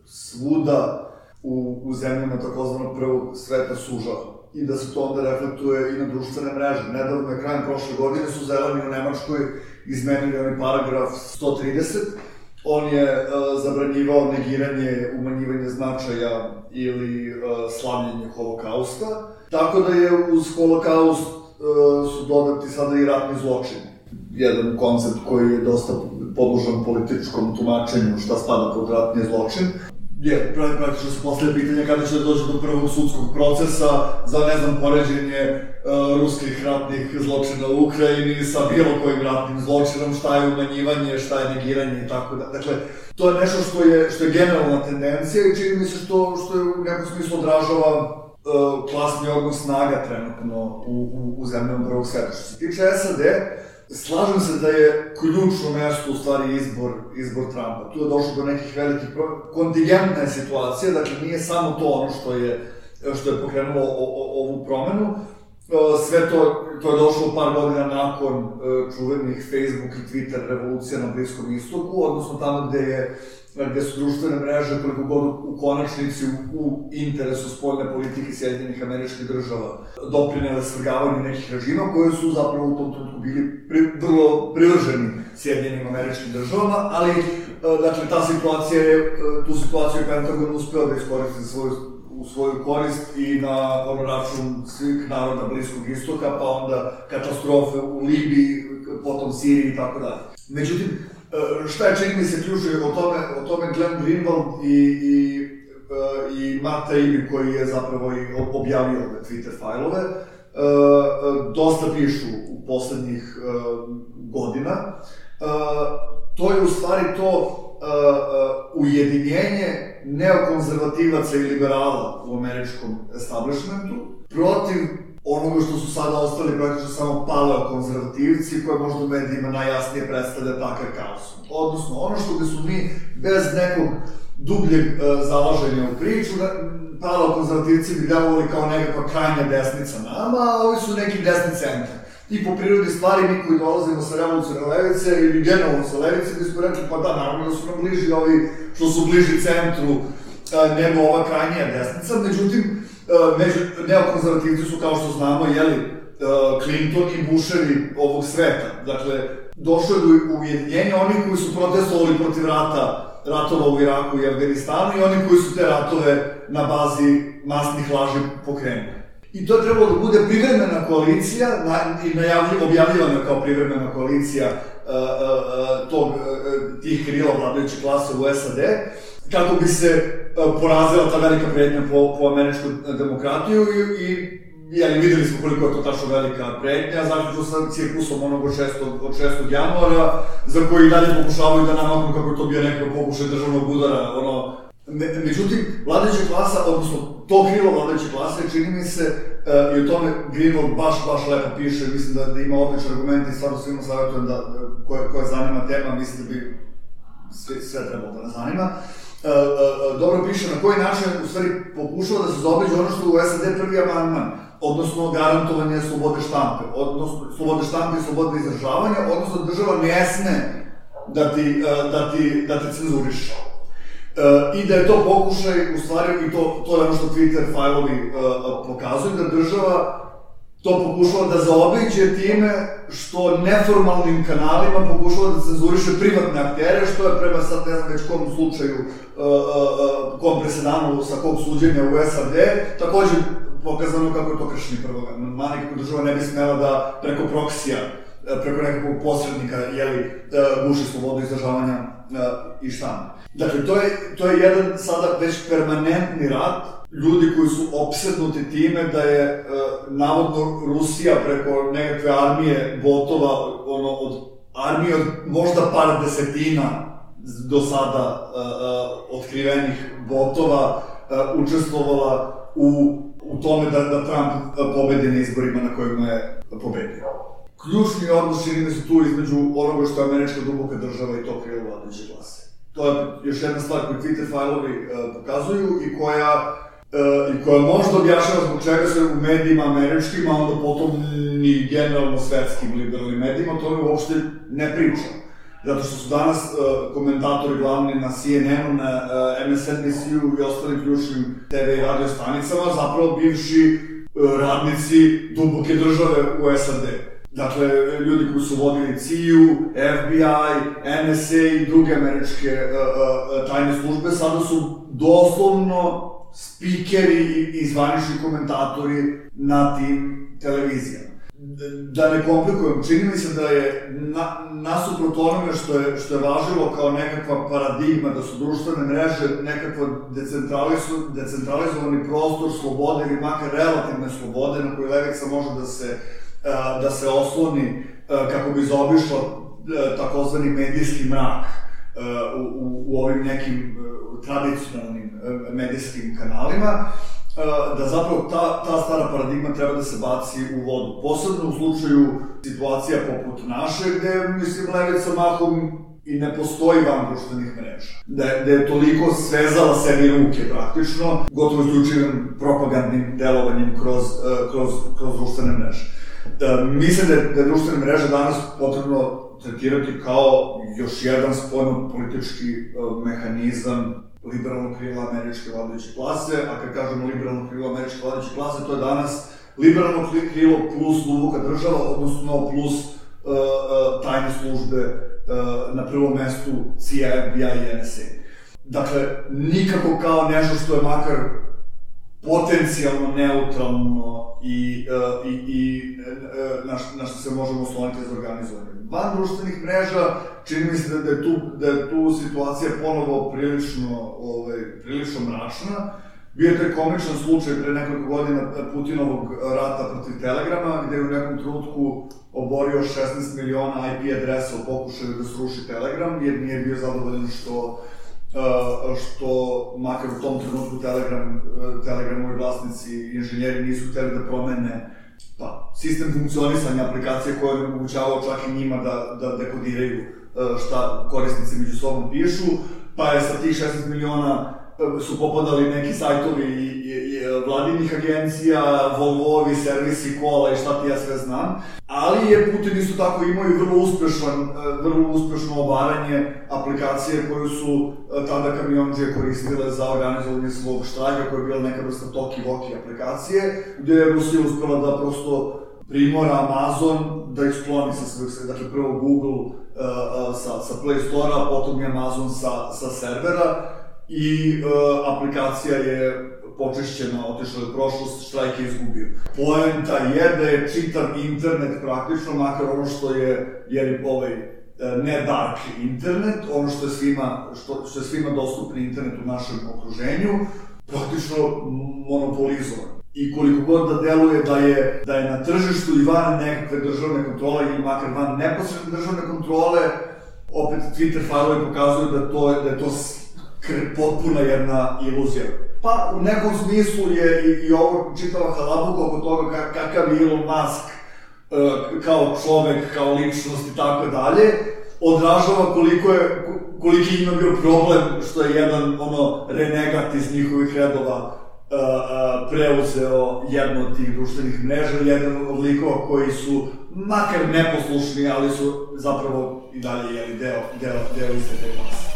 svuda u, u zemljama takozvanog prvog sveta sužava. I da se to onda reflektuje i na društvene mreže. Nedavno je krajem prošle godine su zeleni u Nemačkoj izmenili onaj paragraf sto trideset. On je uh, zabranjivao negiranje, umanjivanje značaja ili uh, slavljenje holokausta. Tako da je uz holokaust uh, su dodati sada i ratni zločini. Jedan koncept koji je dosta podložan političkom tumačenju šta spada pod ratni zločin. Je, praktično se postavlja pitanje kada će da dođe do prvog sudskog procesa za, ne znam, poređenje uh, ruskih ratnih zločina u Ukrajini sa bilo kojim ratnim zločinom, šta je umanjivanje, šta je negiranje i tako da. Dakle, to je nešto što je, što je generalna tendencija i čini mi se što, što je u nekom smislu odražava uh, klasni odnos snaga trenutno u, u, u zemljama prvog sveta. Što se tiče S A D, slažem se da je ključno mesto u stvari izbor, izbor Trumpa. Tu je došlo do nekih velikih pro... kontingentne situacije, dakle nije samo to ono što je, što je pokrenulo o, o, ovu promenu. Sve to, to je došlo par godina nakon čuvenih Facebook i Twitter revolucija na Bliskom istoku, odnosno tamo gde je gde su društvene mreže koliko god u konačnici u, u interesu spoljne politike Sjedinjenih Američkih Država doprinele svrgavanju nekih režima koji su zapravo u tom trenutku bili pri, vrlo privrženi Sjedinjenim Američkim Državama, ali dakle ta situacija je, tu situaciju je Pentagon uspeo da iskoristi svoju, u svoju korist i na ono račun svih naroda Bliskog istoka, pa onda katastrofe u Libiji, potom Siriji i tako dalje. Međutim, šta je, čini mi se, ključno o tome, o tome Glenn Greenwald i, i, i Matt Taibbi, koji je zapravo i objavio ove Twitter fajlove, dosta pišu u poslednjih godina. To je u stvari to ujedinjenje neokonzervativaca i liberala u američkom establishmentu protiv onoga što su sada ostali praktično samo paleokonzervativci koje možda u medijima najjasnije predstavlja takav kaos. Odnosno, ono što bi su mi bez nekog dubljeg e, zalaženja u priču, paleokonzervativci bi delovali kao nekakva krajnja desnica nama, a ovi su neki desni centar. I po prirodi stvari, mi koji dolazimo sa revolucionarne levice ili generalno sa levice, bi smo rekli, pa da, naravno da su nam bliži ovi što su bliži centru e, nego ova krajnija desnica, međutim, među neokonzervativci su, kao što znamo, jeli, Clinton i Bushevi ovog sveta. Dakle, došlo je do ujedinjenja onih koji su protestovali protiv rata, ratova u Iraku i Afganistanu i oni koji su te ratove na bazi masnih laži pokrenuli. I to je trebalo da bude privremena koalicija, na, i najavljivo objavljivana kao privremena koalicija uh, uh, tog, uh, tih krila vladajuće klase u S A D, kako bi se uh, porazila ta velika pretnja po, po američku demokratiju i, i jeli, videli smo koliko je to tačno velika pretnja, zaključno sa cirkusom onog od šestog januara, za koji dalje pokušavaju da namaknu kako je to bio neko pokušaj državnog udara, ono. Me, međutim, vladajuća klasa, odnosno to krilo vladajuće klase, čini mi se, uh, i o tome Greenwald baš, baš lepo piše, mislim da, da ima odličan argument i stvarno svima savjetujem da, koje, koje zanima tema, mislim da bi sve, sve trebalo da nas zanima. Uh, uh, dobro piše na koji način, u stvari, pokušava da se zaobiđe ono što u S A D prvi amandman, odnosno garantovanje slobode štampe, odnosno slobode štampe i slobode izražavanja, odnosno država ne sme da ti, uh, da ti, da te cenzuriše. I da je to pokušaj, u stvari, i to, to je ono što Twitter fajlovi pokazuju, da država to pokušava da zaobiđe time što neformalnim kanalima pokušava da cenzuriše privatne aktere, što je prema sad ne znam već kom slučaju, kom presedanu sa kog suđenja u S A D, takođe pokazano kako je to kršenje prvog amandmana i kako država ne bi smela da preko proksija, preko nekakvog posrednika, jeli, guši slobodu izražavanja i štampa. Dakle, to je, to je jedan sada već permanentni rat ljudi koji su opsednuti time da je e, navodno Rusija preko nekakve armije botova, ono, od armije od možda par desetina do sada e, e, otkrivenih botova e, učestvovala u, u tome da, da Trump pobedi na izborima na kojima je pobedio. Ključni odnos čini mi se tu između onoga što je američka duboka država i to krilo vladajuće klase. To je još jedna stvar koju Twitter fajlovi e, pokazuju i koja Uh, i koja možda objašnjava zbog čega se u medijima američkim, a onda potom ni generalno svetskim liberalnim medijima, to mi uopšte ne priča. Zato što su danas uh, komentatori glavni na C N N-u, na uh, M S N B C-u i ostalim ključnim T V i radio stanicama, zapravo bivši uh, radnici duboke države u S A D. Dakle, ljudi koji su vodili C I U, F B I, N S A i druge američke uh, uh, tajne službe, sada su doslovno spikeri i zvanični komentatori na tim televizijama. Da ne komplikujem, čini mi se da je na, nasuprot onome što je, što je važilo kao nekakva paradigma, da su društvene mreže nekakva decentralizovani prostor slobode ili makar relativne slobode na koju levica može da se, da se osloni kako bi zaobišla takozvani medijski mrak u, u, u ovim nekim tradicionalnim medijskim kanalima, da zapravo ta, ta stara paradigma treba da se baci u vodu. Posebno u slučaju situacija poput naše, gde, mislim, levica mahom i ne postoji van društvenih mreža. Da je, da je toliko svezala sebi ruke praktično, gotovo isključivim propagandnim delovanjem kroz, kroz, kroz društvene mreže. Da, mislim da je, da je društvene mreže danas potrebno tretirati kao još jedan spoljno-politički uh, mehanizam liberalnog krila američke vladajuće klase, a kad kažemo liberalno krilo američke vladajuće klase, to je danas liberalno krilo plus duboka država, odnosno plus uh, uh, tajne službe, uh, na prvom mestu C I A, F B I i N S A. Dakle, nikako kao nešto što je makar potencijalno neutralno i, uh, i, i uh, na, na što se možemo osloniti za organizovanje. Van društvenih mreža, čini mi se da, da, je, tu, da je tu situacija ponovo prilično, ovaj, prilično mračna. Bio je taj komičan slučaj pre nekoliko godina Putinovog rata protiv Telegrama, gde je u nekom trenutku oborio šesnaest miliona I P adresa u pokušaju da sruši Telegram, jer nije bio zadovoljan što Uh, što makar u tom trenutku Telegram, uh, Telegramovi vlasnici i inženjeri nisu hteli da promene pa, sistem funkcionisanja aplikacije koje je omogućavao čak i njima da, da dekodiraju uh, šta korisnici među sobom pišu, pa je sa tih šesnaest miliona uh, su popadali neki sajtovi i, i, i vladinih agencija, Volvovi, servisi, kola i šta ti ja sve znam, ali je Putin isto tako imao i vrlo uspešan, vrlo uspešno obaranje aplikacije koju su tada kamiondžije koristile za organizovanje svog štrajka, koja je bila neka vrsta Toki-Voki aplikacije, gde je Rusija uspela da prosto primora Amazon da ih skloni sa svojih, dakle prvo Google uh, sa, sa Play Store-a, potom i Amazon sa, sa servera i uh, aplikacija je počišćena, otišla je u prošlost, štrajk je izgubio. Poenta je da je čitav internet praktično, makar ono što je, jer ovaj, ne dark internet, ono što je svima, što, što je svima dostupni internet u našem okruženju, praktično monopolizovan. I koliko god da deluje da je, da je na tržištu i van nekakve državne kontrole ili makar van neposredne državne kontrole, opet Twitter fajlovi pokazuju da, to, da je to potpuna jedna iluzija. Pa u nekom smislu je i, i ovo čitava halabuka oko toga kakav je Elon Musk uh, kao čovek, kao ličnost i tako dalje, odražava koliko je, koliki ima bio problem što je jedan ono renegat iz njihovih redova uh, uh, preuzeo jedno od tih društvenih mreža, jedan od likova koji su makar neposlušni, ali su zapravo i dalje jeli deo, deo, deo iste te klase.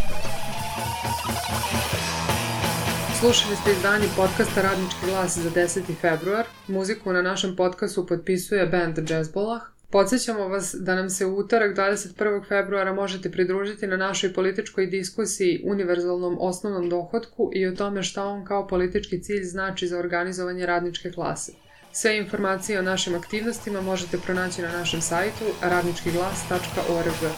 Slušali ste izdanje podcasta Radnički glas za deseti februar. Muziku na našem podcastu potpisuje band Jazzbolah. Podsjećamo vas da nam se u utorak dvadeset prvog februara možete pridružiti na našoj političkoj diskusiji univerzalnom osnovnom dohotku i o tome šta on kao politički cilj znači za organizovanje radničke klase. Sve informacije o našim aktivnostima možete pronaći na našem sajtu radnički glas tačka org.